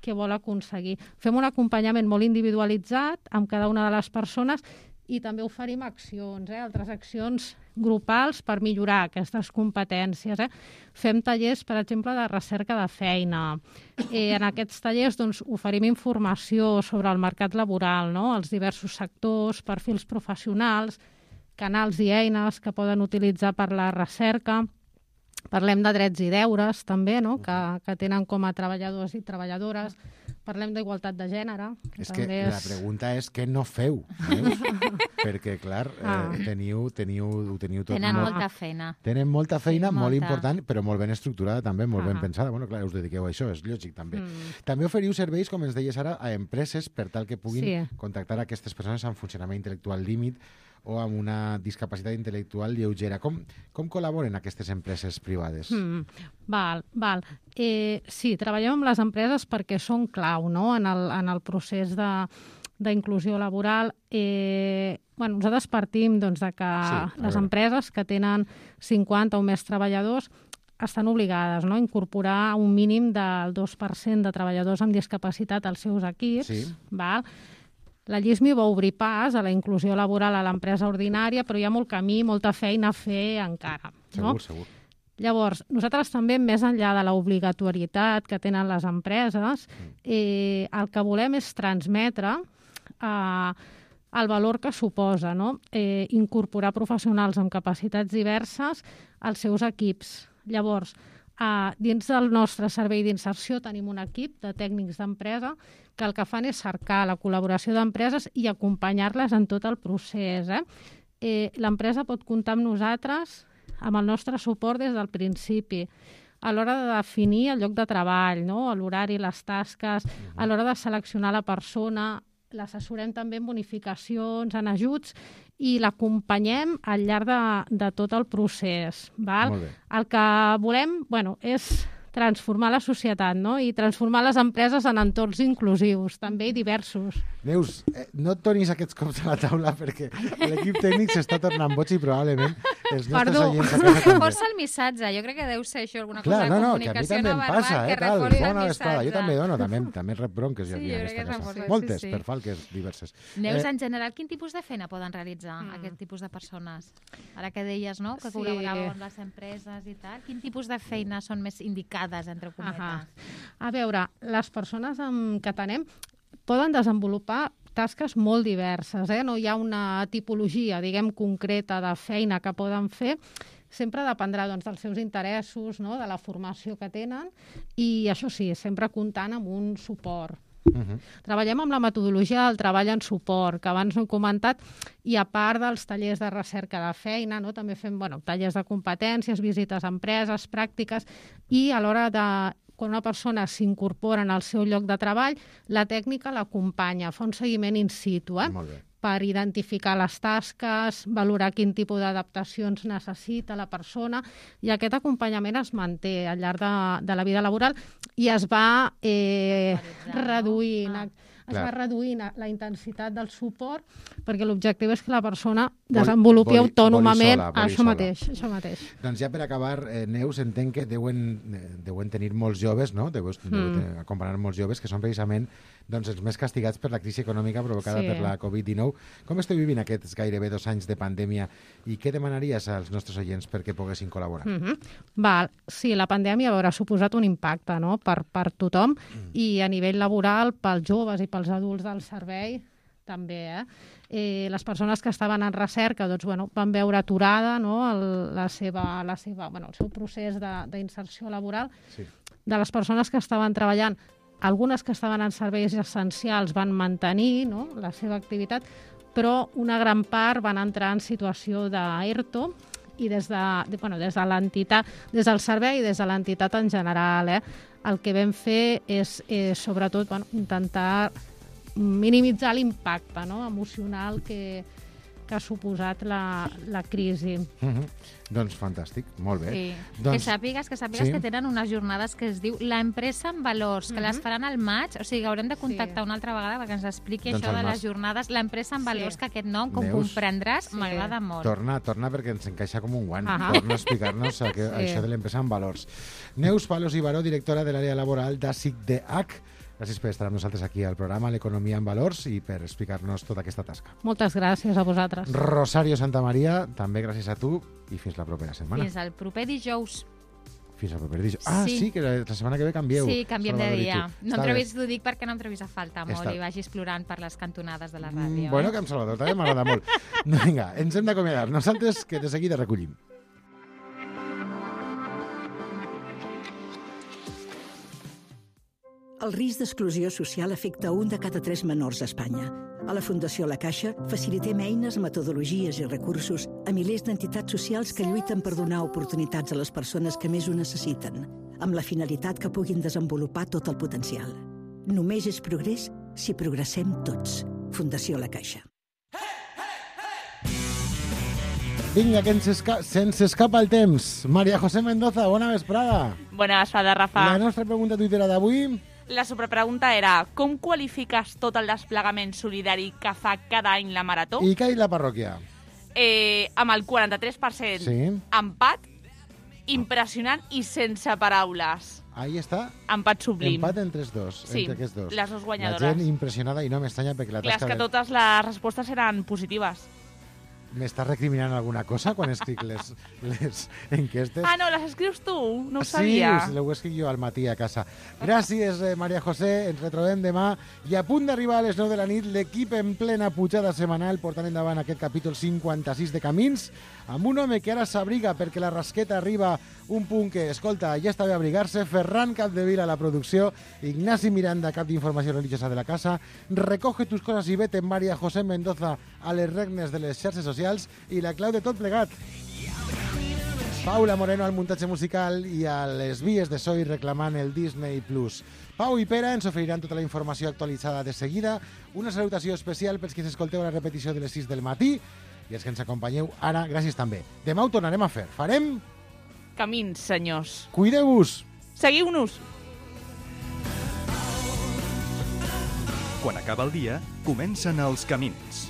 que vol aconseguir. Fem un acompanyament molt individualitzat amb cada una de les persones i també oferim accions, altres accions grupals per millorar aquestes competències. Fem tallers, per exemple, de recerca de feina. En aquests tallers oferim informació sobre el mercat laboral, els diversos sectors, perfils professionals, canals i eines que poden utilitzar per la recerca. Parlem de drets i deures, també, que tenen com a treballadors i treballadores. Parlem d'igualtat de gènere. Que la pregunta és què no feu? Perquè, clar, ho teniu tot... Tenen molta feina. Tenen molta feina, molt important, però molt ben estructurada també, molt ben pensada. Clar, us dediqueu a això, és lògic també. També oferiu serveis, com ens deies ara, a empreses per tal que puguin contactar aquestes persones amb funcionament intel·lectual límit o amb una discapacitat intel·lectual lleugera. Com col·laboren aquestes empreses privades? Val. Sí, treballem amb les empreses perquè són clau en el procés d'inclusió laboral. Nosaltres partim de que les empreses que tenen 50 o més treballadors estan obligades a incorporar un mínim del 2% de treballadors amb discapacitat als seus equips. La LLISMI va obrir pas a la inclusió laboral a l'empresa ordinària, però hi ha molt camí, molta feina a fer encara. Segur. Llavors, nosaltres també, més enllà de l'obligatorietat que tenen les empreses, el que volem és transmetre el valor que suposa incorporar professionals amb capacitats diverses als seus equips. Llavors, Dins del nostre servei d'inserció tenim un equip de tècnics d'empresa que el que fan és cercar la col·laboració d'empreses i acompanyar-les en tot el procés. L'empresa pot comptar amb nosaltres, amb el nostre suport des del principi, a l'hora de definir el lloc de treball, no? L'horari, les tasques, a l'hora de seleccionar la persona, l'assessorem també en bonificacions, en ajuts, i l'acompanyem al llarg de tot el procés. Val? Molt bé. El que volem és transformar la societat, no? I transformar les empreses en entorns inclusius, també i diversos. Neus, no et donis aquests cops a la taula perquè l'equip tècnic s'està tornant boig i probablement els nostres oients a casa també. Força el missatge, jo crec que deu ser això, alguna Clar, cosa de que a mi comunicació també no em verbal passa, que tal, reforci el bona vesprada. Jo missatge. també dono, també rep bronques jo aquí en aquesta casa. Moltes, per falques diverses. Neus, en general, quin tipus de feina poden realitzar aquest tipus de persones? Ara que deies, no?, que col·laboraven amb les empreses i tal, quin tipus de feina són més indicades, entre cometes? A veure, les persones que tenem poden desenvolupar tasques molt diverses, no hi ha una tipologia, diguem, concreta de feina que poden fer. Sempre dependrà dels seus interessos, no?, de la formació que tenen, i això sí, sempre comptant amb un suport. Treballem amb la metodologia del treball en suport, que abans no he comentat, i a part dels tallers de recerca de feina, no?, també fem tallers de competències, visites a empreses, pràctiques, i a l'hora de quan una persona s'incorpora en el seu lloc de treball, la tècnica l'acompanya, fa un seguiment in situ, per identificar les tasques, valorar quin tipus d'adaptacions necessita la persona, i aquest acompanyament es manté al llarg de la vida laboral i es va reduint. Es va reduint la intensitat del suport perquè l'objectiu és que la persona desenvolupi autònomament això mateix. Doncs ja per acabar, Neus, entenc que deuen tenir molts joves, no? Deuen acompanyar molts joves que són precisament els més castigats per la crisi econòmica provocada per la Covid-19. Com esteu vivint aquests gairebé 2 anys de pandèmia i què demanaries als nostres oients perquè poguessin col·laborar? Sí, la pandèmia haurà suposat un impacte per tothom i a nivell laboral pels joves i pels adults del servei també. Les persones que estaven en recerca van veure aturada el seu procés d'inserció laboral. De les persones que estaven treballant, algunes que estaven en serveis essencials van mantenir la seva activitat, però una gran part van entrar en situació d'ERTO i des de l'entitat, des del servei i des de l'entitat en general. El que vam fer és, sobretot, intentar minimitzar l'impacte emocional que ha suposat la crisi. Doncs fantàstic, molt bé. Que sàpigues que tenen unes jornades que es diu l'empresa en valors, que les faran al maig, o sigui, haurem de contactar una altra vegada perquè ens expliqui això de les jornades, l'empresa en valors, que aquest nom, com comprendràs, m'agrada molt. Torna perquè ens encaixa com un guant. Torna a explicar-nos això de l'empresa en valors. Neus Palos i Baró, directora de l'àrea laboral d'ASICDH. Gràcies per estar amb nosaltres aquí al programa L'Economia en Valors i per explicar-nos tota aquesta tasca. Moltes gràcies a vosaltres. Rosario Santamaria, també gràcies a tu i fins la propera setmana. Fins al proper dijous. Fins al proper dijous. Sí, que la setmana que ve canvieu. Sí, canviem de dia. T'ho dic perquè no em trobis a falta molt i vagis plorant per les cantonades de la ràdio. Bueno, que amb Salvador també m'agrada molt. Vinga, ens hem d'acomiadar. Nosaltres que de seguida recollim. El risc d'exclusió social afecta 1 de cada 3 menors a Espanya. A la Fundació La Caixa facilitem eines, metodologies i recursos a milers d'entitats socials que lluiten per donar oportunitats a les persones que més ho necessiten, amb la finalitat que puguin desenvolupar tot el potencial. Només és progrés si progressem tots. Fundació La Caixa. Vinga, que se'ns escapa el temps. María José Mendoza, bona vesprada. Bona vesprada, Rafa. La nostra pregunta tuitera d'avui... La superpregunta era: com qualifiques tot el desplegament solidari que fa cada any la Marató? I què ha dit la parròquia? Amb el 43%. Sí. Empat, impressionant i sense paraules. Ahí està. Empat sublim. Empat entre els dos. Sí, entre aquests dos. les dues guanyadores. La gent impressionada i no m'estranya perquè la tasca... Clar, és que totes les respostes eren positives. M'estàs recriminant alguna cosa quan escric les enquestes? Ah, no, les escrius tu? No ho sabia. Sí, ho escric jo al matí a casa. Gràcies, Maria José. Ens retrobem demà. I a punt d'arribar a les 9 de la nit, l'equip en plena pujada setmanal portant endavant aquest capítol 56 de Camins, amb un home que ara s'abriga perquè la rasqueta arriba a un punt que, escolta, ja està bé abrigar-se. Ferran Capdevila a la producció, Ignasi Miranda, cap d'informació religiosa de la casa. Recoge tus cosas y vete, Maria José Mendoza, a les regnes de les xarxes socials, i la clau de tot plegat, Paula Moreno al muntatge musical i a les vies de so i reclamant el Disney Plus. Pau i Pere ens oferiran tota la informació actualitzada de seguida. Una salutació especial pels que s'escolteu la repetició de les 6 del matí i els que ens acompanyeu ara, gràcies també. Demà ho tornarem a fer. Farem Camins, senyors. Cuideu-vos. Seguiu-nos. Quan acaba el dia, comencen els camins.